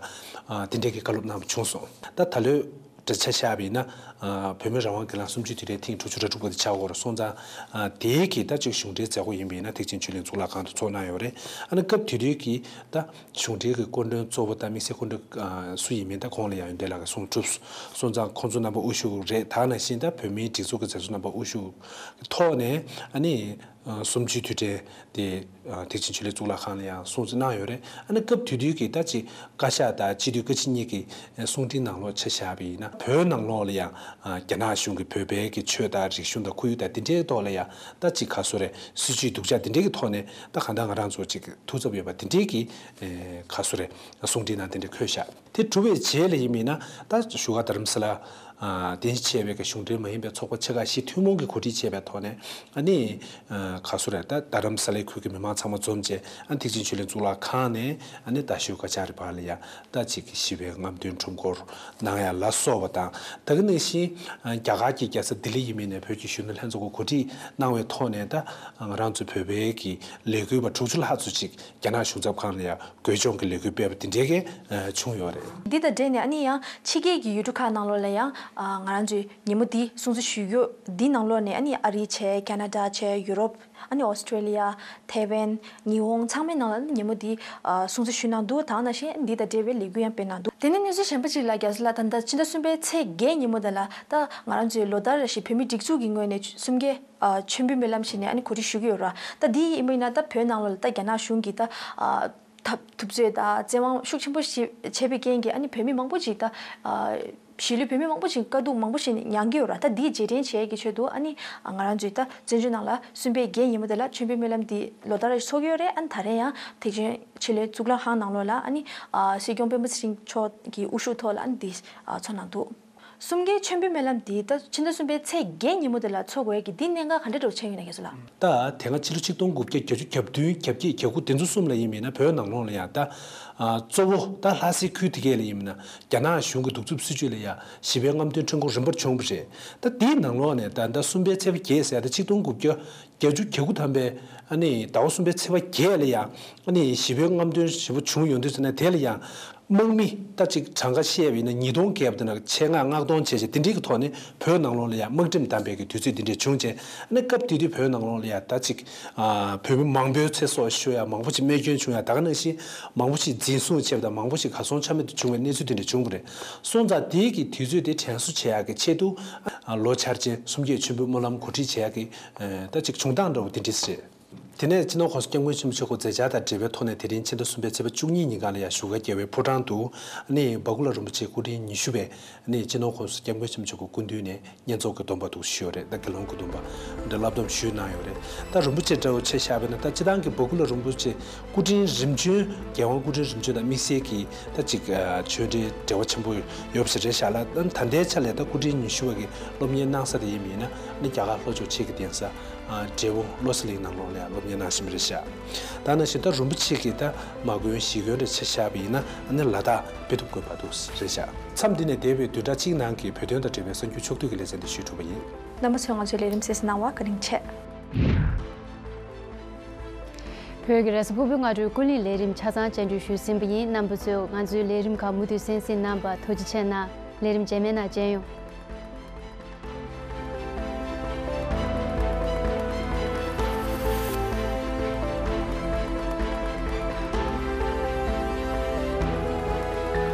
ཨ་དེ་འདྲའི་གི་བཀའ་སློབ་གནང་བ་བྱུང་སོང་། ད་ད་ལོའི་འདྲ་ཆ་བཞག་པ་ཡིན་ན་ཨ་བོད་མི་རང་དབང་སྒེར་ལངས་གསུམ་བཅུའི་དུས་དྲན་ཐེངས་དྲུག་ཅུ་རེ་དྲུག་པ་དེ་ཆགས་ཡོད་རེད། སོང་ཙང་ཨ་དེའི་གི་ད་ཅིག་གཞུང་འབྲེལ་མཛད་སྒོ་ཡིན་པ་ཡིན་ན་ཐེག་ཆེན་ཆོས་གླིང་གཙུག་ལག་ཁང་དུ་ཚོགས་གནང་ཡོད་རེད། ཨ་ནི་སྐབས་དེ་དུས་ཀྱི་ད་གཞུང་འབྲེལ་གྱི་སྐུ་མགྲོན་གཙོ་བོ་དང་དམིགས་བསལ་སྐུ་མགྲོན་ཨ་སུ་ཡིན་མིན་ད་ཁོང་ལ་ཡང་ཡོན་ཏན་ལགས་ཀྱིས་གསུང་གྲུབ་སོང་ཙང་ཁོང་ཚོ་རྣམ་པ་དབུ་བཞུགས་རེད། ད་ནང་བཞིན་ད་བོད་མིའི་སྒྲིག་འཛུགས་ཀྱི་མཛད་གཙོ་རྣམ་པ་དབུ་བཞུགས་ཀྱི་ཐོག་ནས་ཨ་ནི་ཨ་གསུམ་བཅུའི་དུས་དྲན་དེ་ཨ་ཐེག་ཆེན་ཆོས་གླིང་གཙུག་ལག་ཁང་ལ་ཡང་སྲུང་བརྩི་གནང་ཡོད་རེད། ཨ་ནི་སྐབས་དེ་དུས་ཀྱི་ད་ཅིག་བཀའ་ཤག་དང་སྤྱི་འཐུས་བཀའ་སྤྱི་གཉིས་ཀྱི་གསུང་འཕྲིན་ནང་ལོགས་ཆ་བཞག་པ་ཡིན་ན་བོད་ནང་ལོགས་ལ་ཡང་ཨ་རྒྱ་ནག་གཞུང་གིས་བོད་པའི་གི་ཆོས་དང་རིག་གཞུང་དང་ཁོར་ཡུག་དང་དེ་འདྲའི་ཐོག་ལ་ཡང་ད་ཅིག་ག་ཚོད་རེད་སྲིད་ཇུས་སྡུག་ཅག་དེ་འདྲའི་གི་ཐོག་ནས་ད་གང་ལྟར་ང་རང་ཚོ་ཅིག་ཐུགས་འཚབ་ཡོད་པ་དེ་འདྲའི་གི་ཨེ་ག་ཚོད་རེད་གསུང་འཕྲིན་ནང་དེ་འདྲ་འཁོད་ཤག་དེ་གྲུབ་པའི་རྗེས་ལ་ཡིན་མིན་ན་ད་བཞུགས་སྒར་རྡ་རམ་ས་ལ་ཨ་རྟེན་གཞི་བྱས་པའི་གི་གཞུང་འབྲེལ་མ་ཡིན་པའི་ཚོགས་པ་ཆེ་ཁག་བཞི་ཐུན་མོང་གི་གོ་སྒྲིག་བྱས་པའི་ཐོག་ནས་ཨ་ནི་ཨ་ག་ཚོད་རེད་ད་རྡ་རམ་ས་ལའི་ཁུལ་གྱི་མི་མང་ཚང་མ་འཛོམས་བྱས་ཨ་ཐེག་ཆེན་ཆོས་གླིང་གཙུག་ལག་ཁང་ནས་ཨ་ནི་རྟ་ཤུལ་ཀ་ཅ་རི་བར་ལ་ཡ་ད་ཅིག་ཞི་བའི་རྔམ་སྟོན་ཁྲོམ་སྐོར་གནང་ཡ་ལ་སོགས་པ་དང་། ད་ག་ནང་བཞིན་ཨ་རྒྱ་གར་གྱི་རྒྱལ་ས་ལྡི་ལི་ཡིན་མིན་ནས་བོད་ཀྱི་གཞོན་ནུ་ལྷན་ཚོགས་ཀྱིས་གོ་སྒྲིག་གནང་བའི་ཐོག་ནས་ད་ང་རང་ཚོ་བོད་པའི་གི་ལས་འགུལ་བ་དྲུག་ཅུ་ལྷག་ཙམ་ཅིག་རྒྱ་ནག་གཞུང་ཚབ་ཁང་ལ་ཡ་འགོས་སྦྱོང་གི་ལས་འགུལ་སྤེལ་བ་དེ་འདྲའི་གི་ཨ་བྱུང་ཡོད་རེད། འདི་དང་འབྲེལ་ནས་ཨ་ནི་ཡང་ཕྱི་རྒྱལ་གྱི་ཡུལ་གྲུ་ཁག་ནང་ལོགས་ལ་ཡང་ཨ་ང་རང་ཚོའི་ཉིན་མོ་འདི་སྲུང་བརྩི་ཞུ་རྒྱུ་འདི་ནང་ལོགས་ནས་ཨ་ནི་ཨ་རི་བྱས་ཁེ་ན་ཌ་བྱས་ཡུ་རོབ་ཨ་ནི་ཨོ་སི་ཀྲེ་ལི་ཡ་ཐའེ་ཝན་ཉི་ཧོང་ཚང་མའི་ནང་ལ་ཨ་ནི་ཉིན་མོ་འདི་ཨ་སྲུང་བརྩི་ཞུས་གནང་འདུག་ད་ག་ནང་བཞིན་འདི་དང་འབྲེལ་བའི་ལས་འགུལ་ཡང་སྤེལ་གནང་འདུག་དེ་ནས་གནས་ཚུལ་གཞན་པ་ཅིག་ལ་རྒྱལ་ས་ལ་ད་ལྟ་ཕྱི་ཟླ་གསུམ་པའི་ཚེས་བརྒྱད་ཉིན་མོ་དེ་ལ་ད་ང་རང་ཚོའི་ལོ་ལྟར་རེ་བཞིན་བོད་མིའི་སྒྲིག་འཛུགས་ཀྱི་ངོས་ནས་གསུམ་བརྒྱའི་ཨ་མཆོད་འབུལ་སྨོན་ལམ་ཞིག་ནས་ཨ་ནི་གོ་སྒྲིག་ཞུ་གི་ཡོད་ར། ད་འདི་ཡིན་པ་ཡིན་ན་ད་བོད་ནང་ལོགས་ལ་ད་རྒྱ་ནག་གཞུང་གིས་ད་ཨ་ཐབས་ཐུབ་ཚོད་དང་བཙན་དབང་ཤུགས་ཆེན་པོ་ཞིག་བྱས་པའི་རྐྱེན་གྱིས་ཨ་ནི་བོད་མི་མང་པོ་ཅིག་ད་ཨ་གཞིས་ལུས་བོད་མི་མང་པོ་ཞིག་དཀའ་སྡུག་མང་པོ་ཞིག་མྱངས་ཀྱི་ཡོད་ར། ད་འདི་རྗེས་དྲན་བྱེད་ཀྱི་ཆེད་དུ་ཨ་ནི་ང་རང་ཚོས་ད་བཙན་བྱོལ་ནང་ལ་གསུམ་པའི་བརྒྱད་ཉིན་མོ་དེ་ལ་མཆོད་འབུལ་སྨོན་ལམ་འདི་ལོ་ལྟར་རེ་ཚོགས་ཀྱི་ཡོད་རེད། ཨ་ནི་ད་རེས་ཡང་ཐེག་ཆེན་ཆོས་གླིང་གཙུག་ལག་ཁང་ནང་ལོགས་ལ་ཨ་ནི་ཨ་སྲིད་སྐྱོང་སྤེན་པ་ཚེ་རིང་མཆོག་གི་དབུ་བཞུགས་ཐོག་ལ་ཨ་ནི་འདི་ཨ་ཚོགས་གནང་འདུག་གསུམ་གའི་མཆོད་འབུལ་སྨོན་ལམ་འདི་ད་ཕྱི་ཟླ་གསུམ་པའི་ཚེས་བརྒྱད་ཉིན་མོ་དེ་ལ་ཚོགས་དགོས་ཀྱི་འདི་གནད་འགག་ག་འདྲ་འདྲ་བོ་ཆགས་ཡོད་ན་རྒྱལ་མཚན་ལགས། ད་དེ་སྔ་ཕྱི་ལོ་ཆིག་སྟོང་དགུ་བརྒྱ་བརྒྱད་ཅུ་གྱ་བདུན་གྱ་བརྒྱད་གྱ་དགུ་དེ་ཚོ་གསུམ་ལ་ཡིན་མིན་ན་བོད་ནང་ལོགས་ལ་ཡང་ད་ཨ་གཙོ་བོ་ད་ལྷ་སའི་ཁུལ་དེ་གས་ལ་ཡིན་མིན་ན་རྒྱ་ནག་གཞུང་གི་གདུག་རྩུབ་སྲིད་བྱུས་ལ་ཡང་ཞི་བའི་རྔམ་སྟོན་ཁྲོམ་སྐོར་རིམ་པར་བྱུང་བ་རེད། ད་དེའི་ནང་ལོགས་ནས་ད་ད་གསུམ་པའི་ཚེས་པ་བརྒྱད་ཟེར་ཡ་ད་ཆིག་སྟོང་དགུ་བརྒྱ་བརྒྱད་ཅུ་གྱ་དགུ་ཐམ་པའི་ཨ་ནི་ཟླ་བ་གསུམ་པའི་ཚེས་པ་བརྒྱད་ལ་ཡང་ཨ་ནི་ཞི་བའི་རྔམ་སྟོན་ཞེ་པོ་བྱུང་ཡོང་དུས་ཙམ་ནས་དེ་ལ་ཡང་། དམག་མི་ད་ཅིག་གྲངས་ཀ་བཤད་པ་ཡིན་ན་ཉིས་སྟོང་བརྒལ་བ་དེ་ན་ཆེད་མངགས་མངགས་གཏོང་བྱས་བྱས་དེ་འདྲའི་གི་ཐོག་ནས་བོད་ནང་ལོགས་ལ་ཡང་དམག་ཁྲིམས་བསྡམས་པའི་གི་དུས་ཚོད་དེ་འདྲས་བྱུང་བྱས་ཨ་ནི་སྐབས་དེ་དུས་བོད་ནང་ལོགས་ལ་ཡང་ད་ཅིག་ཨ་བོད་མི་མང་པོའི་ཚེ་སྲོག་ཤོར་ཡ་མང་པོ་ཅིག་རྨས་སྐྱོན་བྱུང་ཡ་ད་ག་ནང་བཞིན་མང་པོ་ཞིག་འཛིན་བཟུང་བྱས་པ་དང་མང་པོ་ཞིག་གར་སོང་ཆ་མེད་དུ་བྱུང་བའི་གནས་ཚུལ་དེ་འདྲས་བྱུང་བ་རེད། སོང་ཙང་དེའི་གི་དུས་ཚོད་དེ་དྲན་གསོ་བྱེད་ཡ་གི་ཆེད་དུ་ཨ་ལོ་འཆར་ཅན་གསུམ་བརྒྱད་མཆོད་འབུལ་སྨོན་ལམ་གོ་སྒྲིག་བྱེད་ཡ་གི་ཨ་ད་ཅིག་བྱུང་སྟངས་འདྲ་བོ་དེ་འདྲས་རེད། དེ་ནས་སྤྱི་ནོར་༸གོང་ས་༸སྐྱབས་མགོན་ཆེན་པོ་མཆོག་གི་མཛད་འཆར་དང་འབྲེལ་བའི་ཐོག་ནས་དེ་རིང་ཕྱི་ཟླ་གསུམ་པའི་ཚེས་པ་བཅུ་གཉིས་ཉིན་གང་ལ་ཡང་བཞུགས་སྒར་རྒྱལ་བའི་ཕོ་བྲང་དུ་ནི་འབའ་ཁུ་ལ་རིན་པོ་ཆེ་སྐུ་ཕྲེང་ཉི་ཤུ་པས་ནི་སྤྱི་ནོར་༸གོང་ས་༸སྐྱབས་མགོན་ཆེན་པོ་མཆོག་གི་སྐུ་མདུན་ནས་བསྙེན་རྫོགས་ཀྱི་སྡོམ་པ་འདུག་ཞུས་ཡོད་རེད། ད་དགེ་སློང་གི་སྡོམ་པ་འདི་བསླབ་སྡོམ་ཞུས་གནང་ཡོད་རེད། ད་རིན་པོ་ཆེ་འདྲ་བོ་ཆ་བཞག་པ་ཡིན་ན་ད་སྤྱི་བཏང་གི་འབའ་ཁུ་ལ་རིན་པོ་ཆེ་སྐུ་ཕྲེང་རིམ་བྱོན་རྒྱལ་དབང་སྐུ་ཕྲེང་རིམ་བྱོན་དང་དམིགས་བསལ་གྱི་ད་ཅིག་ཆོས་འབྲེལ་འབྲེལ་བ་ཆེན་པོ་ཡོད་པ་ཞིག་རེད་ཤག་ལ། ད་ལྟའི་ཆ་ལས་ད་སྐུ་ཕྲེང་ཉི་ཤུ་པ་གི་སློབ་གཉེར་གནང་ས་དེ་ཡིན་པ་ཡིན་ན་ནི་རྒྱ་གར་ལྷོ་ཕྱོགས་ཆེ་གི་གདན་ས། འབྲས་སྤུངས་བློ་གསལ་གླིང་ནང་ལོགས་ལ་ཡང་སློབ་གཉེར་གནང་བཞིན་པ་རེད་ཤག་ད་ནང་བཞིན་ད་རིན་པོ་ཆེ་གིས་ད་མ་དགོན་གཞིས་དགོན་རེ་ཆ་བཞག་པ་ཡིན་ན་ཨ་ནི་ལ་དྭགས་དཔེ་ཐུབ་དགོན་པ་འདུག་རེད་ཤག་མཚམས་འདི་ནས་འདས་པའི་བདུན་ཕྲག་གཅིག་ནང་གི་བོད་དོན་དང་འབྲེལ་བའི་གསར་འགྱུར་ཕྱོགས་བསྡུས་ཀྱི་ལེ་ཚན་འདི་ཞུས་གྲུབ་པ་ཡིན། རྣམ་པ་ཚོས་ང་ཚོའི་ལས་རིམ་གསན་གཟིགས་གནང་བར་བཀའ་དྲིན་ཆེ། བོད་ཀྱི་རེས་གཟའ་ཕུར་བུའི་སྔ་དྲོའི་ཀུན་གླེང་ལས་རིམ་ཆ་ཚང་སྤྱན་འབུལ་ཞུས་ཟིན་པ་ཡིན། རྣམ་པ་ཚོས་ང་ཚོའི་ལས་རིམ་ཁག་མུ་མཐུད་གསན་གཟིགས་གནང་བར་ཐུགས་རྗེ་ཆེ་གནང་། ལས་རིམ་རྗེས་མའི་ནང་མཇལ་ཡོང་།